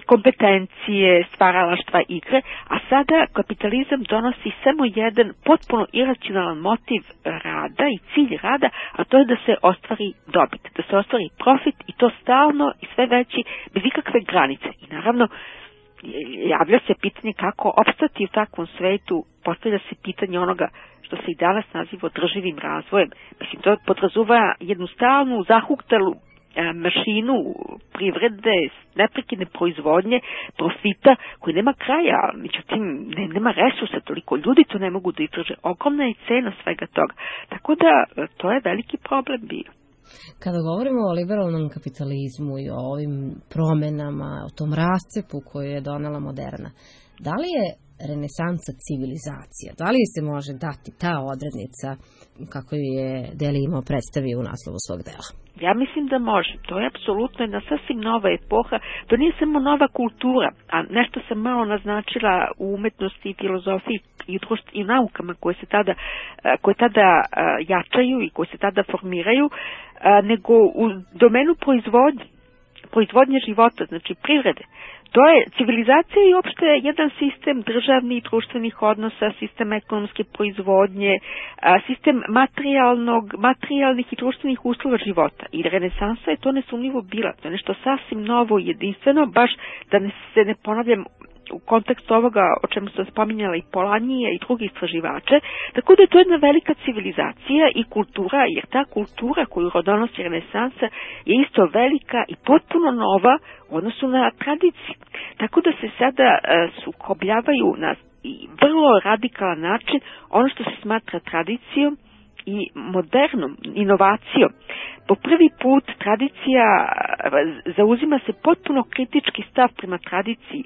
S8: kompetencije, stvaralaštva, igre, a sada kapitalizam donosi samo jedan potpuno iracionalan motiv rada i cilj rada, a to je da se ostvari dobit, da se ostvari profit i to stalno i sve veći, bez ikakve granice. I naravno, javlja se pitanje kako opstati u takvom svetu, postavlja se pitanje onoga što se i danas naziva održivim razvojem. Mislim, to podrazuva jednu stalnu, zahuktalu mašinu privrede, neprekidne proizvodnje, profita koji nema kraja, međutim ne, nema resursa, toliko ljudi to ne mogu da izdrže. Ogromna je cena svega toga. Tako da to je veliki problem bio.
S5: Kada govorimo o liberalnom kapitalizmu i o ovim promenama, o tom rascepu koju je donela moderna, da li je renesansa civilizacija? Da li se može dati ta odrednica kako je Deli imao predstavio u naslovu svog dela?
S8: Ja mislim da može. To je apsolutno jedna sasvim nova epoha. To nije samo nova kultura, a nešto sam malo naznačila u umetnosti i filozofiji i u, društv, i u naukama koje se tada, koje tada jačaju i koje se tada formiraju, nego u domenu proizvodnje, proizvodnje života, znači privrede. To je civilizacija i uopšte jedan sistem državnih i društvenih odnosa, sistem ekonomske proizvodnje, sistem materijalnog, materijalnih i društvenih uslova života. I renesansa je to nesumnjivo bila. To je nešto sasvim novo i jedinstveno, baš da ne, se ne ponavljam u kontekstu ovoga o čemu sam spominjala i Polanije i drugi istraživače, tako da je to jedna velika civilizacija i kultura, jer ta kultura koju donosi renesansa je isto velika i potpuno nova u odnosu na tradiciju. Tako da se sada uh, sukobljavaju na vrlo radikalan način ono što se smatra tradicijom i modernom inovacijom. Po prvi put tradicija zauzima se potpuno kritički stav prema tradiciji.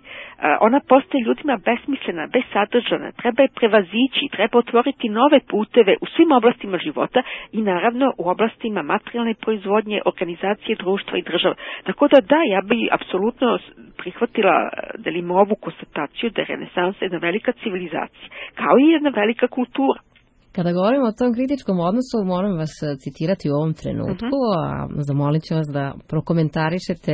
S8: Ona postaje ljudima besmislena, besadržana, treba je prevazići, treba otvoriti nove puteve u svim oblastima života i naravno u oblastima materijalne proizvodnje, organizacije društva i država. Tako da da, ja bi apsolutno prihvatila delimo ovu konstataciju da je renesansa jedna velika civilizacija, kao i jedna velika kultura.
S5: Kada govorimo o tom kritičkom odnosu, moram vas citirati u ovom trenutku, uh-huh. a zamolit ću vas da prokomentarišete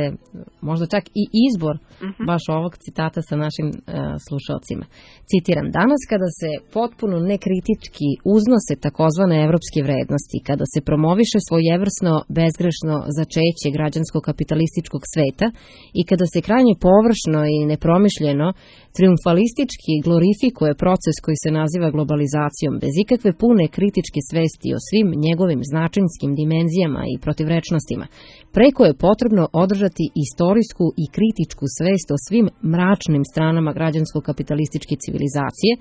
S5: možda čak i izbor uh-huh. baš ovog citata sa našim uh, slušalcima. Citiram, danas kada se potpuno nekritički uznose takozvane evropske vrednosti, kada se promoviše svojevrsno bezgrešno začeće građansko-kapitalističkog sveta i kada se krajnje površno i nepromišljeno triumfalistički glorifikuje proces koji se naziva globalizacijom bez ikakve pune kritičke svesti o svim njegovim značinskim dimenzijama i protivrečnostima, preko je potrebno održati istorijsku i kritičku svest o svim mračnim stranama građansko-kapitalističke civilizacije,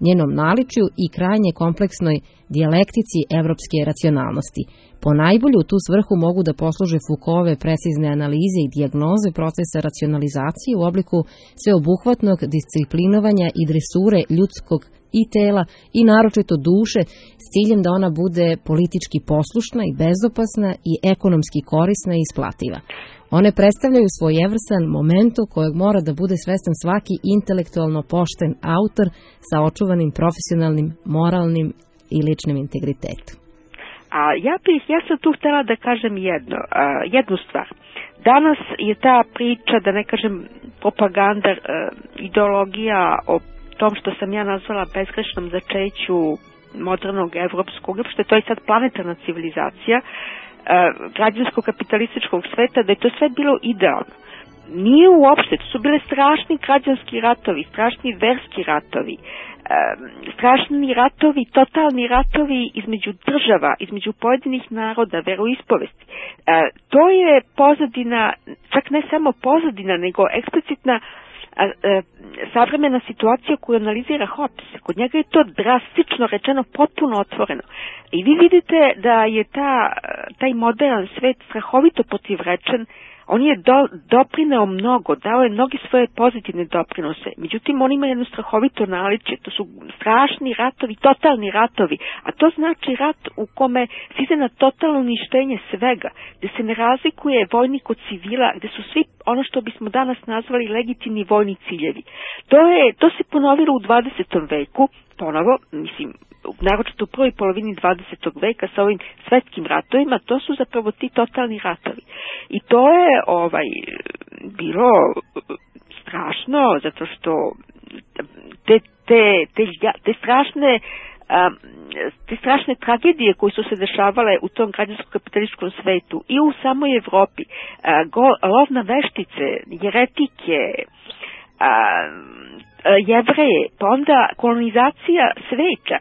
S5: njenom naličju i krajnje kompleksnoj dijalektici evropske racionalnosti. Po najbolju u tu svrhu mogu da posluže Foucaultove precizne analize i dijagnoze procesa racionalizacije u obliku sveobuhvatnog disciplinovanja i dresure ljudskog i tela i naročito duše s ciljem da ona bude politički poslušna i bezopasna i ekonomski korisna i isplativa. One predstavljaju svojevrstan momentu kojeg mora da bude svestan svaki intelektualno pošten autor sa očuvanim profesionalnim, moralnim i ličnim integritetom.
S8: A ja bih, ja sam tu htjela da kažem jedno, uh, jednu stvar. Danas je ta priča, da ne kažem propaganda, uh, ideologija o tom što sam ja nazvala bezgrešnom začeću modernog evropskog, što to je sad planetarna civilizacija, uh, građansko-kapitalističkog sveta, da je to sve bilo idealno. Nije uopšte, to su bile strašni građanski ratovi, strašni verski ratovi, strašni ratovi, totalni ratovi između država, između pojedinih naroda, veroispovesti. To je pozadina, čak ne samo pozadina, nego eksplicitna savremena situacija koju analizira Hobbes. Kod njega je to drastično rečeno potpuno otvoreno. I vi vidite da je ta, taj modern svet strahovito protivrečen On je do, doprineo mnogo, dao je mnogi svoje pozitivne doprinose. Međutim, on ima jedno strahovito naličje. To su strašni ratovi, totalni ratovi. A to znači rat u kome se ide na totalno uništenje svega, gde se ne razlikuje vojnik od civila, gde su svi ono što bismo danas nazvali legitimni vojni ciljevi. To, je, to se ponovilo u dvadesetom veku, ponovo, mislim, naročito u prvoj polovini dvadesetog veka sa ovim svetskim ratovima, to su zapravo ti totalni ratovi. I to je ovaj bilo strašno, zato što te, te, te, te strašne te strašne tragedije koje su se dešavale u tom građansko-kapitalističkom svetu i u samoj Evropi, lov na veštice, jeretike, Jevreje, pa onda kolonizacija sveta,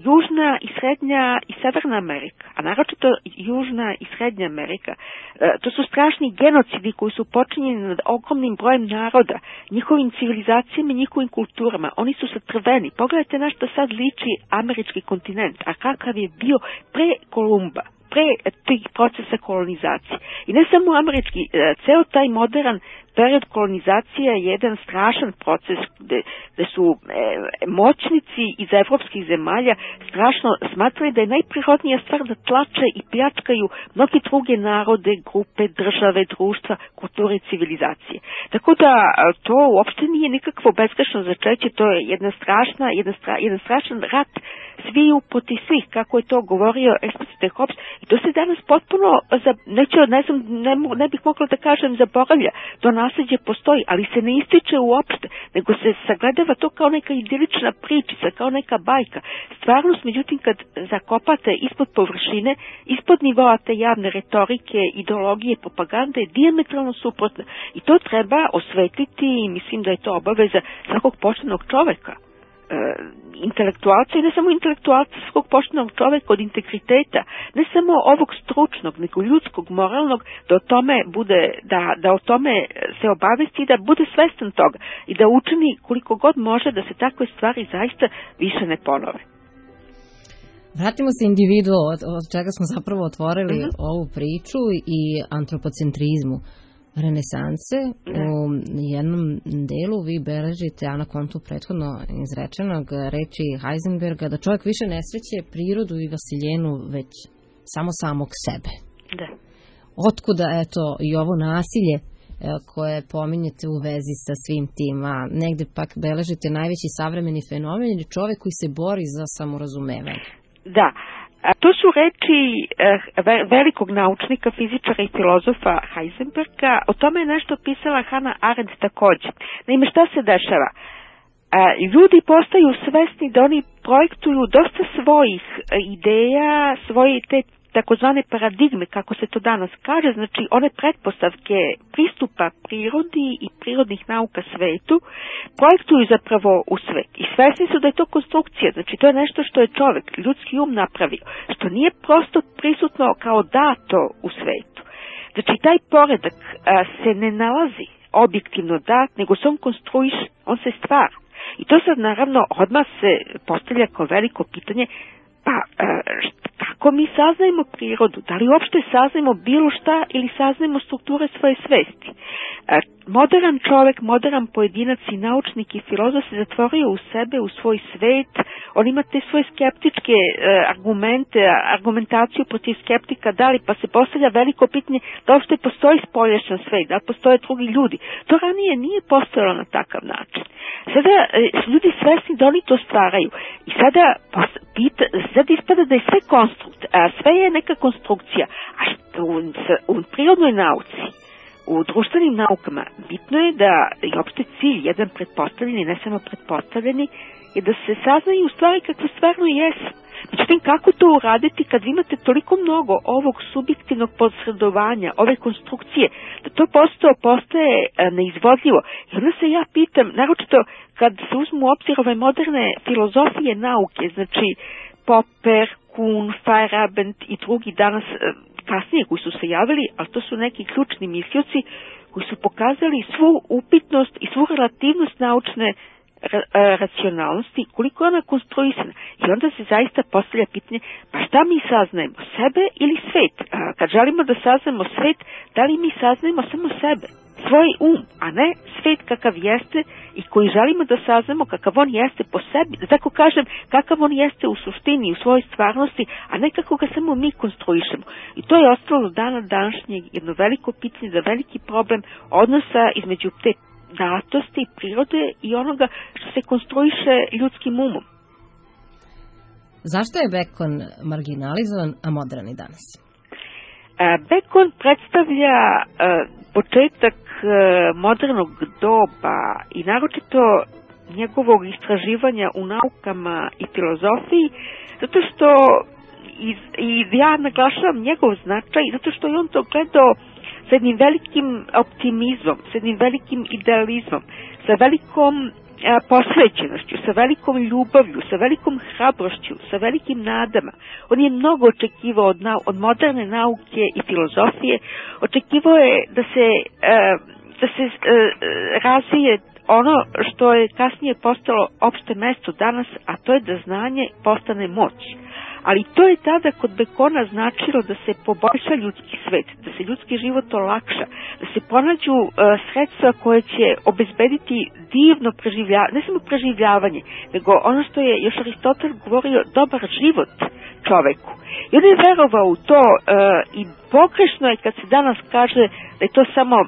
S8: Južna i Srednja i Severna Amerika, a naročito Južna i Srednja Amerika, to su strašni genocidi koji su počinjeni nad ogromnim brojem naroda, njihovim civilizacijama i njihovim kulturama. Oni su satrveni. Pogledajte na što sad liči američki kontinent, a kakav je bio pre Kolumba, pre tih procesa kolonizacije. I ne samo američki, ceo taj modern period kolonizacije je jedan strašan proces gde, gde su e, moćnici iz evropskih zemalja strašno smatrali da je najprirodnija stvar da tlače i pljačkaju mnogi druge narode, grupe, države, društva, kulture i civilizacije. Tako da to uopšte nije nikakvo bezgrešno začeće, to je jedna strašna, jedna stra, jedan strašan rat sviju protiv svih, kako je to govorio eksplicite Hobbes, i to se danas potpuno, za, neću, ne, znam, ne, ne bih mogla da kažem zaboravlja, to nasljeđe postoji, ali se ne ističe uopšte, nego se sagledava to kao neka idilična pričica, kao neka bajka. Stvarnost, međutim, kad zakopate ispod površine, ispod nivoa te javne retorike, ideologije, propagande, je dijametralno suprotna. I to treba osvetliti i mislim da je to obaveza svakog poštenog čoveka. E, intelektualca i ne samo intelektualca, svakog poštenog čoveka od integriteta, ne samo ovog stručnog, nego ljudskog, moralnog, da o tome bude, da, da o tome se obavesti i da bude svestan toga i da učini koliko god može da se takve stvari zaista više ne ponove.
S5: Vratimo se individu od, od čega smo zapravo otvorili mm-hmm. ovu priču i antropocentrizmu renesanse. Ne. U jednom delu vi beležite, a na kontu prethodno izrečenog reči Heisenberga, da čovjek više ne sreće prirodu i vasiljenu, već samo samog sebe.
S8: Da.
S5: Otkuda, eto, i ovo nasilje koje pominjete u vezi sa svim tim, a negde pak beležite najveći savremeni fenomen ili čovjek koji se bori za samorazumevanje.
S8: Da. To su reči velikog naučnika, fizičara i filozofa Heisenberga. O tome je nešto pisala Hannah Arendt također. Naime, šta se dešava? Ljudi postaju svesni da oni projektuju dosta svojih ideja, svoje te takozvane paradigme, kako se to danas kaže, znači one pretpostavke pristupa prirodi i prirodnih nauka svetu, projektuju zapravo u svet. I svesni su da je to konstrukcija, znači to je nešto što je čovjek, ljudski um napravio, što nije prosto prisutno kao dato u svetu. Znači taj poredak a, se ne nalazi objektivno dat, nego se on konstruiše, on se stvara. I to sad naravno odmah se postavlja kao veliko pitanje, pa kako mi saznajemo prirodu? Da li uopšte saznajemo bilo šta ili saznajemo strukture svoje svesti? Modern čovek, modern pojedinac i naučnik i filozof se zatvorio u sebe, u svoj svet. On ima te svoje skeptičke argumente, argumentaciju protiv skeptika, da li, pa se postavlja veliko pitanje da uopšte postoji spoljašnji svet, da li postoje drugi ljudi. To ranije nije postojalo na takav način. Sada su ljudi svesni da oni to stvaraju. I sada, pita, sada ispada da je sve konstrukt, a sve je neka konstrukcija. A što u, u prirodnoj nauci, u društvenim naukama, bitno je da je opšte cilj, jedan pretpostavljeni, ne samo pretpostavljeni, je da se saznaju stvari kakve stvarno jesu. Međutim, kako to uraditi kad imate toliko mnogo ovog subjektivnog posredovanja, ove konstrukcije, da to postoje, postaje neizvodljivo. I onda se ja pitam, naročito kad se uzmu u obzir ove moderne filozofije nauke, znači Popper, Kuhn, Feyerabend i drugi danas kasnije koji su se javili, ali to su neki ključni mislioci koji su pokazali svu upitnost i svu relativnost naučne racionalnosti, koliko je ona konstruisana. I onda se zaista postavlja pitanje, pa šta mi saznajemo, sebe ili svet? A kad želimo da saznajemo svet, da li mi saznajemo samo sebe, svoj um, a ne svet kakav jeste i koji želimo da saznamo kakav on jeste po sebi, da tako kažem, kakav on jeste u suštini, u svojoj stvarnosti, a ne kako ga samo mi konstruišemo. I to je ostalo dana današnjeg jedno veliko pitanje, da veliki problem odnosa između te datosti, prirode i onoga što se konstruiše ljudskim umom.
S5: Zašto je Bekon marginalizovan, a modern i danas?
S8: Bekon predstavlja početak modernog doba i naročito njegovog istraživanja u naukama i filozofiji, zato što i, i ja naglašavam njegov značaj, zato što je on to gledao sa jednim velikim optimizmom, sa jednim velikim idealizmom, sa velikom a, posvećenošću, sa velikom ljubavlju, sa velikom hrabrošću, sa velikim nadama. On je mnogo očekivao od, nau, od moderne nauke i filozofije, očekivao je da se, a, da se a, razvije ono što je kasnije postalo opšte mesto danas, a to je da znanje postane moć. Ali to je tada kod Bekona značilo da se poboljša ljudski svet, da se ljudski život olakša, da se pronađu uh, sredstva koje će obezbediti divno preživljavanje, ne samo preživljavanje, nego ono što je još Aristotel govorio, dobar život čoveku. I on je verovao u to uh, i pogrešno je kad se danas kaže da je to samo uh,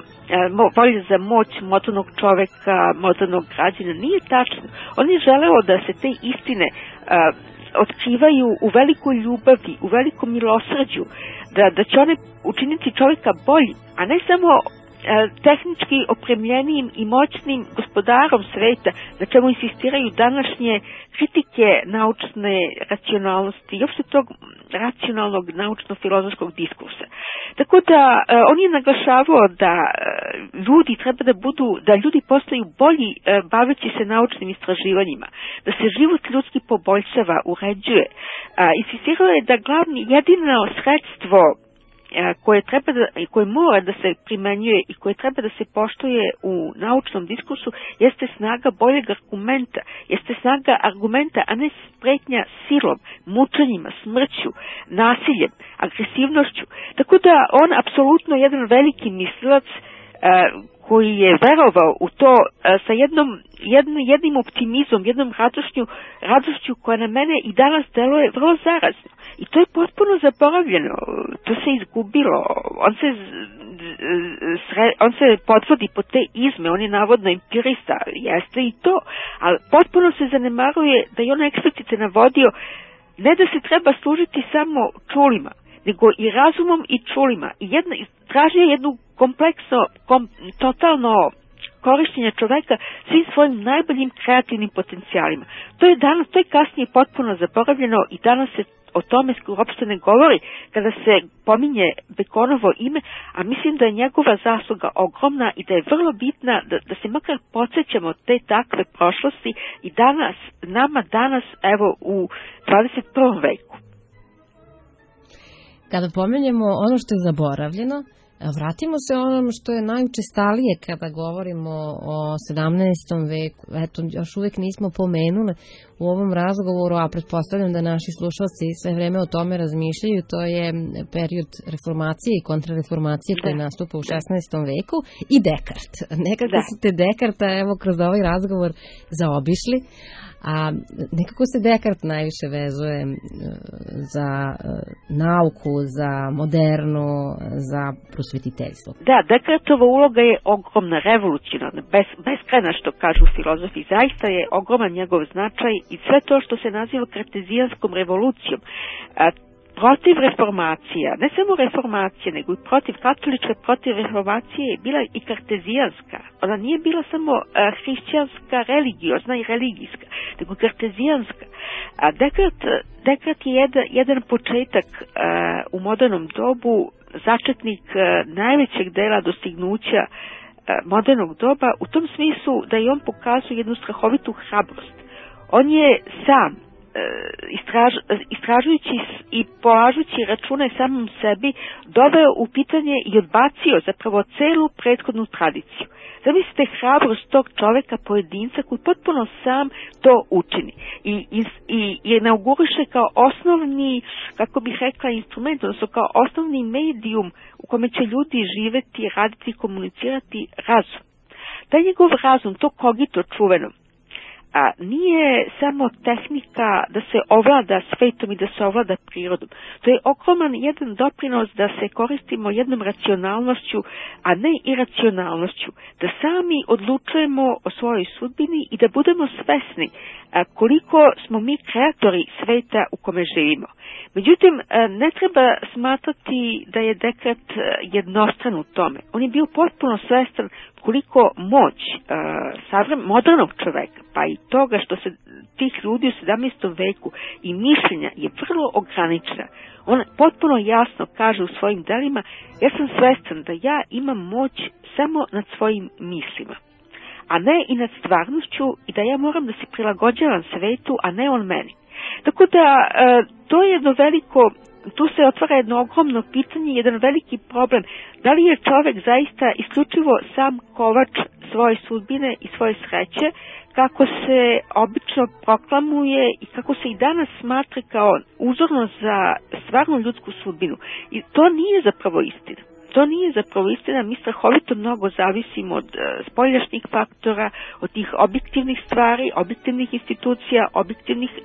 S8: volja za moć modernog čoveka, modernog građana. Nije tačno. On je želeo da se te istine uh, otkrivaju u velikoj ljubavi, u velikom milosrđu, da, da će one učiniti čovjeka boljim, a ne samo e, tehnički opremljenijim i moćnim gospodarom sveta, na čemu insistiraju današnje kritike naučne racionalnosti i uopšte tog racionalnog naučno-filozofskog diskursa. Tako da e, on je naglašavao da e, ljudi treba da budu, da ljudi postaju bolji e, baveći se naučnim istraživanjima, da se život ljudski poboljšava, uređuje. E, insistirao je da glavni, jedino sredstvo koje treba da, koje mora da se primenjuje i koje treba da se poštuje u naučnom diskursu jeste snaga boljeg argumenta, jeste snaga argumenta, a ne spretnja silom, mučenjima, smrću, nasiljem, agresivnošću. Tako da on apsolutno jedan veliki mislilac koji je verovao u to sa jednom, jednim, jednim optimizmom, jednom radošću, radošću koja na mene i danas deluje vrlo zarazno. I to je potpuno zaboravljeno, to se izgubilo, on se, on se podvodi po te izme, on je navodno empirista, jeste i to, ali potpuno se zanemaruje da je on eksplicite navodio ne da se treba služiti samo čulima, nego i razumom i čulima. I jedna, tražio jednu kompleksno, kom, totalno korištenje čoveka svim svojim najboljim kreativnim potencijalima. To je danas, to je kasnije potpuno zaboravljeno i danas se o tome uopšte ne govori kada se pominje Bekonovo ime, a mislim da je njegova zasluga ogromna i da je vrlo bitna da, da se makar podsjećamo te takve prošlosti i danas, nama danas, evo u dvadeset prvom veku.
S5: Kada pomenjemo ono što je zaboravljeno, vratimo se onom što je najučestalije kada govorimo o sedamnaestom veku. Eto, još uvijek nismo pomenuli u ovom razgovoru, a pretpostavljam da naši slušalci sve vreme o tome razmišljaju, to je period reformacije i kontrareformacije koji nastupa u šesnaestom veku i Dekart. Nekako da. ste Dekarta, evo, kroz ovaj razgovor zaobišli, a nekako se Dekart najviše vezuje za nauku, za modernu, za prosvetiteljstvo. Da,
S8: Dekartova uloga je ogromna, revolucionarna, bez, beskrajna, što kažu filozofi. Zaista je ogroman njegov značaj i sve to što se naziva kartezijanskom revolucijom. A, protiv reformacija, ne samo reformacije, nego i protiv katoličke, protiv reformacije je bila i kartezijanska. Ona nije bila samo uh, hrišćanska, religiozna i religijska, nego kartezijanska. A Dekart, Dekart je jedan, jedan početak uh, u modernom dobu, začetnik uh, najvećeg dela dostignuća uh, modernog doba, u tom smislu da i on pokazuje jednu strahovitu hrabrost. On je sam Istraž, istražujući i polažući račune samom sebi, doveo u pitanje i odbacio zapravo celu prethodnu tradiciju. Zamislite hrabrost tog čoveka, pojedinca koji potpuno sam to učini i, i, i inauguriše kao osnovni, kako bih rekla, instrument, odnosno kao osnovni medijum u kome će ljudi živeti, raditi, komunicirati razum. Taj njegov razum, to kogito čuveno, a nije samo tehnika da se ovlada svetom i da se ovlada prirodom. To je ogroman jedan doprinos da se koristimo jednom racionalnošću, a ne iracionalnošću. Da sami odlučujemo o svojoj sudbini i da budemo svesni koliko smo mi kreatori sveta u kome živimo. Međutim, ne treba smatrati da je Dekart jednostran u tome. On je bio potpuno svestan koliko moć uh, modernog čoveka, pa i toga što se tih ljudi u sedamnaestom veku i mišljenja je vrlo ograničena. On potpuno jasno kaže u svojim delima: ja sam svestan da ja imam moć samo nad svojim mislima, a ne i nad stvarnošću, i da ja moram da se prilagođavam svetu, a ne on meni. Tako da to je jedno veliko, tu se otvara jedno ogromno pitanje, jedan veliki problem. Da li je čovek zaista isključivo sam kovač svoje sudbine i svoje sreće, kako se obično proklamuje i kako se i danas smatra kao uzorno za stvarnu ljudsku sudbinu. I to nije zapravo istina. To nije zapravo istina, mi strahovito mnogo zavisimo od uh, spoljašnjih faktora, od tih objektivnih stvari, objektivnih institucija, objektivnih uh,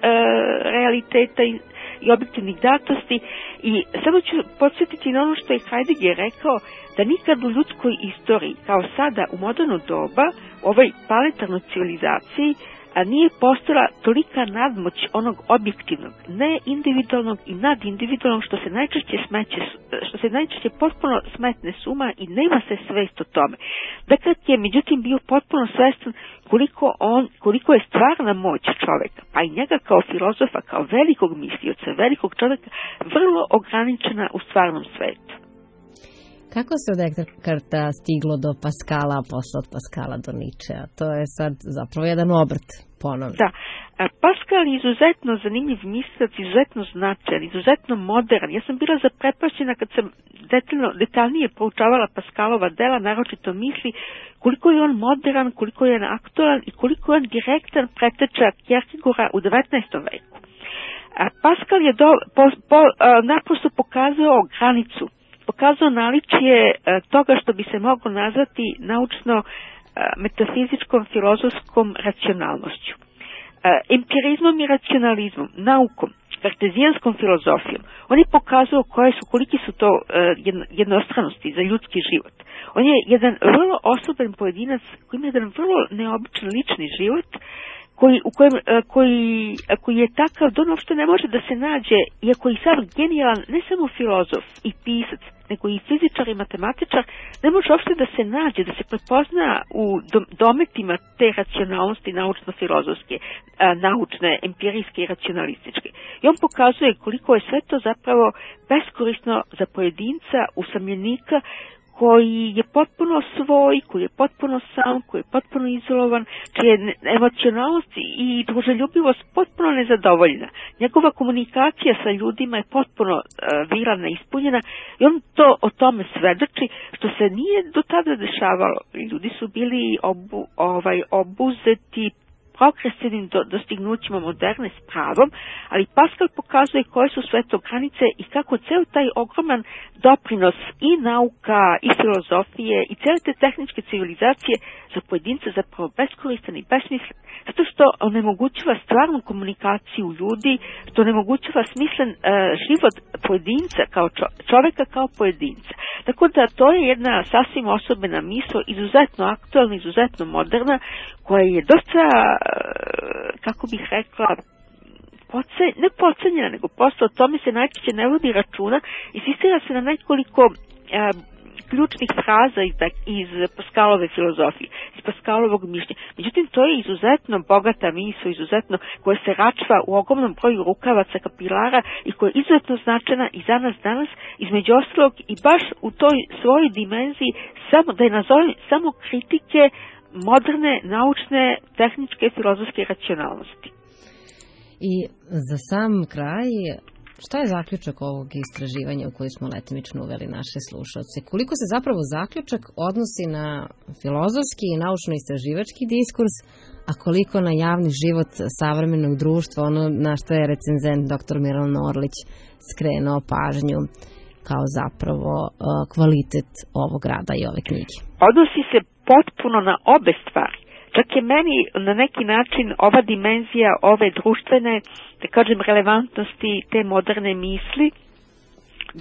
S8: realiteta i, i objektivnih datosti. I samo ću podsjetiti na ono što je Heidegger rekao, da nikad u ljudskoj istoriji, kao sada u moderno doba, u ovoj planetarnoj civilizaciji, a nije postojala tolika nadmoć onog objektivnog, ne individualnog i nadindividualnog, što se najčešće smeće, što se najčešće potpuno smetne suma i nema se svest o tome. Dakle, je međutim bio potpuno svestan koliko on, koliko je stvarna moć čoveka, pa i njega kao filozofa, kao velikog mislioca, velikog čoveka, vrlo ograničena u stvarnom svetu.
S5: Kako se od Dekarta stiglo do Paskala, a posle od Paskala do Ničea? To je sad zapravo jedan obrt ponovno.
S8: Da, Paskal je izuzetno zanimljiv mislilac, izuzetno značajan, izuzetno modern. Ja sam bila zaprepašćena kad sam detaljno, detaljnije proučavala Paskalova dela, naročito misli, koliko je on modern, koliko je on aktualan i koliko je on direktan preteča Kierkegaarda u devetnaestom veku. Paskal je do, po, po, naprosto pokazao granicu, pokazao naličje toga što bi se moglo nazvati naučno metafizičkom filozofskom racionalnošću. Empirizmom i racionalizmom, naukom, kartezijanskom filozofijom, on je pokazao koje su, koliki su to jednostranosti za ljudski život. On je jedan vrlo osoben pojedinac koji ima jedan vrlo neobičan lični život, koji, u kojem, koji, koji je takav da on uopšte ne može da se nađe, iako je sam genijalan, ne samo filozof i pisac, nego i fizičar i matematičar, ne može uopšte da se nađe, da se prepozna u dometima te racionalnosti naučno-filozofske, naučne, empirijske i racionalističke. I on pokazuje koliko je sve to zapravo beskorisno za pojedinca, usamljenika, koji je potpuno svoj, koji je potpuno sam, koji je potpuno izolovan, čija je emocionalnost i druželjubivost potpuno nezadovoljena. Njegova komunikacija sa ljudima je potpuno uh, viralna, ispunjena, i on to o tome svedoči, što se nije do tada dešavalo. Ljudi su bili obu, ovaj, obuzeti progresivnim do, dostignućima moderne s pravom, ali Paskal pokazuje koje su sve to granice i kako ceo taj ogroman doprinos i nauka i filozofije i cele te tehničke civilizacije za pojedinca zapravo beskoristan i besmislen, zato što onemogućava stvarnu komunikaciju ljudi, što onemogućava smislen uh, život pojedinca kao čo, čoveka kao pojedinca. Tako da to je jedna sasvim osobena misao, izuzetno aktualna, izuzetno moderna, koja je dosta, kako bih rekla, poce, ne pocenjena, nego prosto o tome se najčešće ne vodi računa, insistira se na nekoliko a, ključnih fraza iz, iz Paskalove filozofije, iz Paskalovog mišljenja. Međutim, to je izuzetno bogata misao, izuzetno koja se račva u ogromnom broju rukavaca, kapilara i koja je izuzetno značajna i za nas danas, između ostalog i baš u toj svojoj dimenziji, samo, da je nazovem samo kritike moderne, naučne, tehničke, filozofske racionalnosti.
S5: I za sam kraj, Šta je zaključak ovog istraživanja u koji smo letimično uveli naše slušalce? Koliko se zapravo zaključak odnosi na filozofski i naučno-istraživački diskurs, a koliko na javni život savremenog društva, ono na što je recenzent doktor Milan Orlić skrenuo pažnju kao zapravo kvalitet ovog rada i ove knjige?
S8: Odnosi se potpuno na obe stvari. Čak je meni na neki način ova dimenzija ove društvene, da kažem, relevantnosti te moderne misli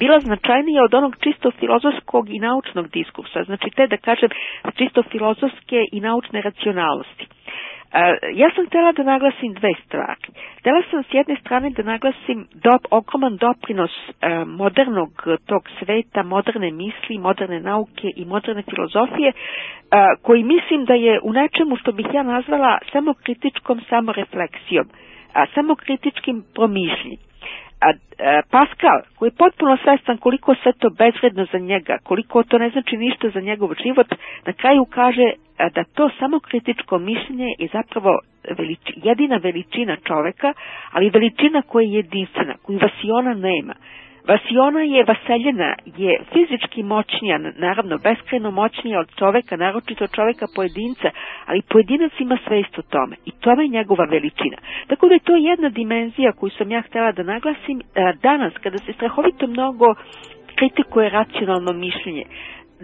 S8: bila značajnija od onog čisto filozofskog i naučnog diskursa, znači te, da kažem, čisto filozofske i naučne racionalnosti. Ja sam htjela da naglasim dve stvari. Htjela sam s jedne strane da naglasim dop, ogroman doprinos e, modernog tog sveta, moderne misli, moderne nauke i moderne filozofije, e, koji mislim da je u nečemu što bih ja nazvala samokritičkom samorefleksijom, a samokritičkim promišljenjem. A, a, Pascal, koji je potpuno svestan koliko sve to bezvredno za njega, koliko to ne znači ništa za njegov život, na kraju kaže a, da to samokritičko mišljenje je zapravo velič, jedina veličina čoveka, ali veličina koja je jedinstvena, koju vasiona nema. Vasiona je, vaseljena je fizički moćnija, naravno beskrajno moćnija od čoveka, naročito od čoveka pojedinca, ali pojedinac ima svest o tome i tome je njegova veličina. Tako da je to jedna dimenzija koju sam ja htjela da naglasim danas, kada se strahovito mnogo kritikuje racionalno mišljenje.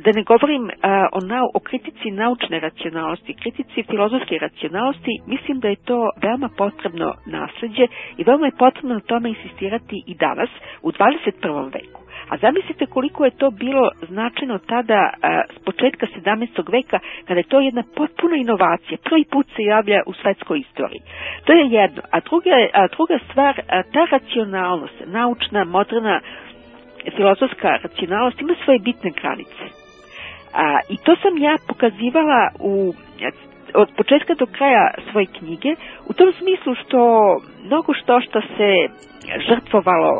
S8: Da ne govorim uh, o, nau, o kritici naučne racionalnosti, kritici filozofske racionalnosti, mislim da je to veoma potrebno nasleđe i veoma je potrebno na tome insistirati i danas, u dvadeset prvom veku. A zamislite koliko je to bilo značajno tada, uh, s početka sedamnaestog veka, kada je to jedna potpuna inovacija, prvi put se javlja u svetskoj istoriji. To je jedno. A druga, a druga stvar, a ta racionalnost, naučna, moderna, filozofska racionalnost ima svoje bitne granice. A, I to sam ja pokazivala u, od početka do kraja svoje knjige, u tom smislu što mnogo što što se žrtvovalo,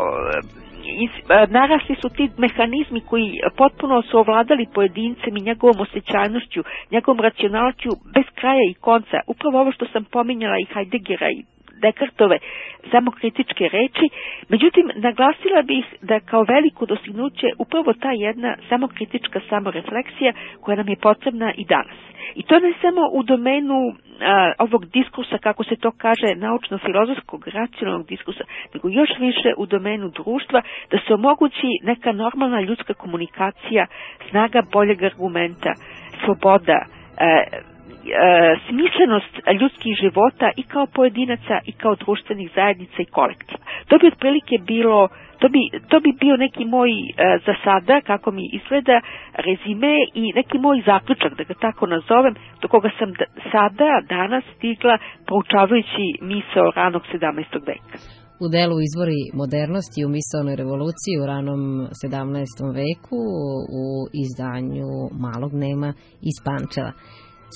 S8: narasli su ti mehanizmi koji potpuno su ovladali pojedincem i njegovom osjećajnošću, njegovom racionalnošću bez kraja i konca. Upravo ovo što sam pominjala i Heideggera i Descartove samokritičke reči, međutim naglasila bih da kao veliko dostignuće upravo ta jedna samokritička samorefleksija koja nam je potrebna i danas. I to ne samo u domenu a, ovog diskursa, kako se to kaže, naučno-filozofskog, racionalnog diskursa, nego još više u domenu društva, da se omogući neka normalna ljudska komunikacija, snaga boljeg argumenta, sloboda, a, smislenost ljudskih života i kao pojedinaca i kao društvenih zajednica i kolektiva. To bi otprilike bilo, to bi, to bi bio neki moj za sada, kako mi izgleda, rezime i neki moj zaključak, da ga tako nazovem, do koga sam sada, danas stigla proučavajući misao ranog sedamnaestog veka.
S5: U delu Izvori modernosti u misaonoj revoluciji u ranom sedamnaestom veku u izdanju Malog Nema iz Pančeva.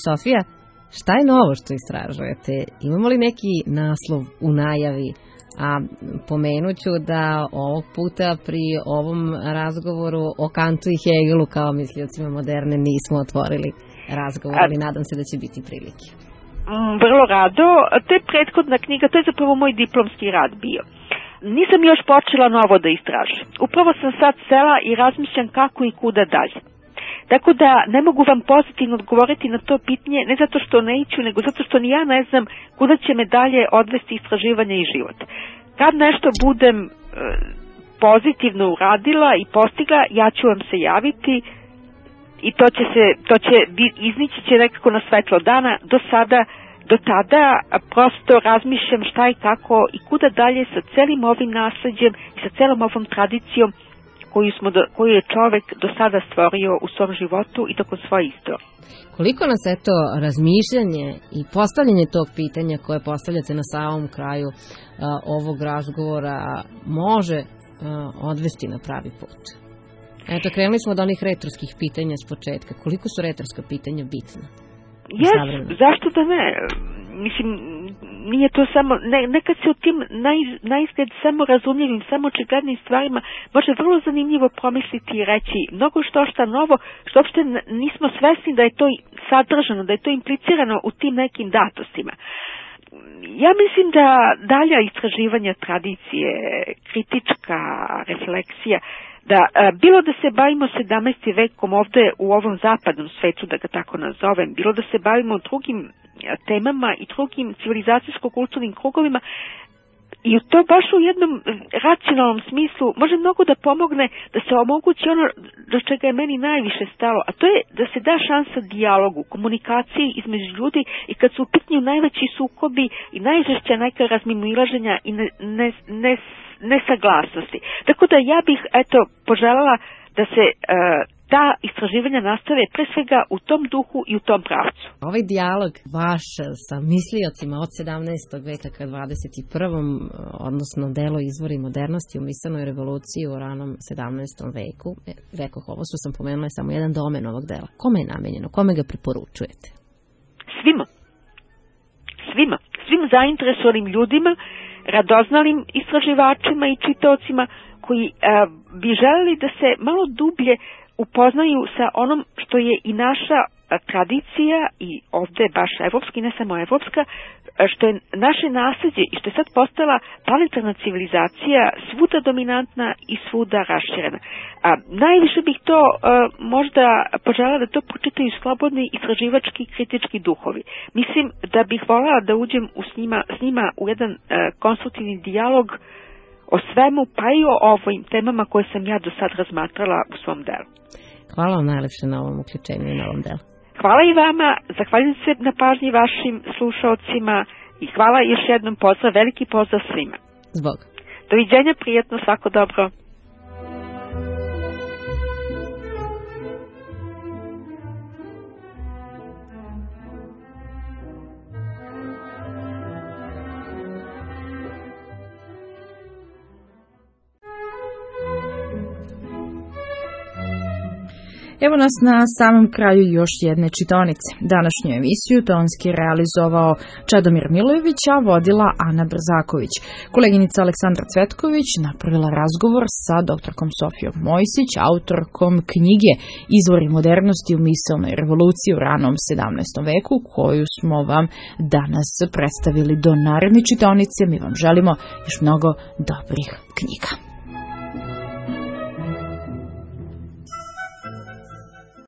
S5: Sofija, šta je novo što istražujete? Imamo li neki naslov u najavi? A pomenuću da ovog puta pri ovom razgovoru o Kantu i Hegelu kao misliocima moderne nismo otvorili razgovor, ali nadam se da će biti prilike.
S8: Vrlo rado. To je prethodna knjiga, to je zapravo moj diplomski rad bio. Nisam još počela novo da istražujem. Upravo sam sad sela i razmišljam kako i kuda dalje. Tako da ne mogu vam pozitivno odgovoriti na to pitanje, ne zato što neću, nego zato što ni ja ne znam kuda će me dalje odvesti istraživanje i život. Kad nešto budem e, pozitivno uradila i postigla, ja ću vam se javiti i to će se, to će iznići će nekako na svetlo dana. Do sada, do tada prosto razmišljam šta i kako i kuda dalje sa celim ovim nasleđem i sa celom ovom tradicijom koju, smo do, koju je čovek do sada stvorio u svom životu i tokom svoje istorije.
S5: Koliko nas eto razmišljanje i postavljanje tog pitanja koje postavljate na samom kraju a, ovog razgovora može a, odvesti na pravi put? Eto, krenuli smo od onih retorskih pitanja s početka. Koliko su retorska pitanja bitna?
S8: Jes, zašto da ne? Mislim, nije to samo, ne, nekad se u tim naj, najizgled samo razumljivim, samo očiglednim stvarima može vrlo zanimljivo promisliti i reći mnogo što šta novo, što uopšte nismo svesni da je to sadržano, da je to implicirano u tim nekim datostima. ja mislim da dalja istraživanja tradicije, kritička refleksija, da bilo da se bavimo sedamnaestim vekom ovde u ovom zapadnom svetu, da ga tako nazovem, bilo da se bavimo drugim temama i drugim civilizacijsko-kulturnim krugovima, i to baš u jednom racionalnom smislu može mnogo da pomogne da se omogući ono do čega je meni najviše stalo, a to je da se da šansa dijalogu, komunikaciji između ljudi i kad su u pitanju najveći sukobi i najžešća neka razmimoilaženja i ne, ne, ne, nesaglasnosti. Tako da ja bih eto poželjela da se uh, ta istraživanja nastave pre svega u tom duhu i u tom pravcu.
S5: Ovaj dijalog vaš sa misliocima od sedamnaestog veka ka dvadeset prvom odnosno delo Izvori modernosti u misailnoj revoluciji u ranom sedamnaestom veku, rekoh, ovo što sam pomenula je samo jedan domen ovog dela. Kome je namenjeno? Kome ga preporučujete?
S8: Svima. Svima. Svim zainteresovanim ljudima, radoznalim istraživačima i čitaocima koji a, bi želeli da se malo dublje upoznaju sa onom što je i naša tradicija i ovde baš evropska i ne samo evropska, što je naše nasleđe i što je sad postala planetarna civilizacija svuda dominantna i svuda raširena. A najviše bih to a, možda poželjela da to pročitaju slobodni istraživački kritički duhovi. Mislim da bih voljela da uđem u s njima, s njima u jedan a, konstruktivni dijalog o svemu, pa i o ovim temama koje sam ja do sad razmatrala u svom delu.
S5: Hvala vam najlepše na ovom uključenju i na ovom delu.
S8: Hvala i vama, zahvaljujem se na pažnji vašim slušaocima i hvala još jednom, pozdrav, veliki pozdrav svima.
S5: Zbog.
S8: Doviđenja, prijetno, svako dobro.
S7: Evo nas na samom kraju još jedne čitaonice. Današnju emisiju tonski realizovao Čedomir Milojević, a vodila Ana Brzaković. Koleginica Aleksandra Cvetković napravila razgovor sa doktorkom Sofijom Mojsić, autorkom knjige Izvori modernosti u misailnoj revoluciji u ranom sedamnaestom veku, koju smo vam danas predstavili. Do naredne čitaonice mi vam želimo još mnogo dobrih knjiga.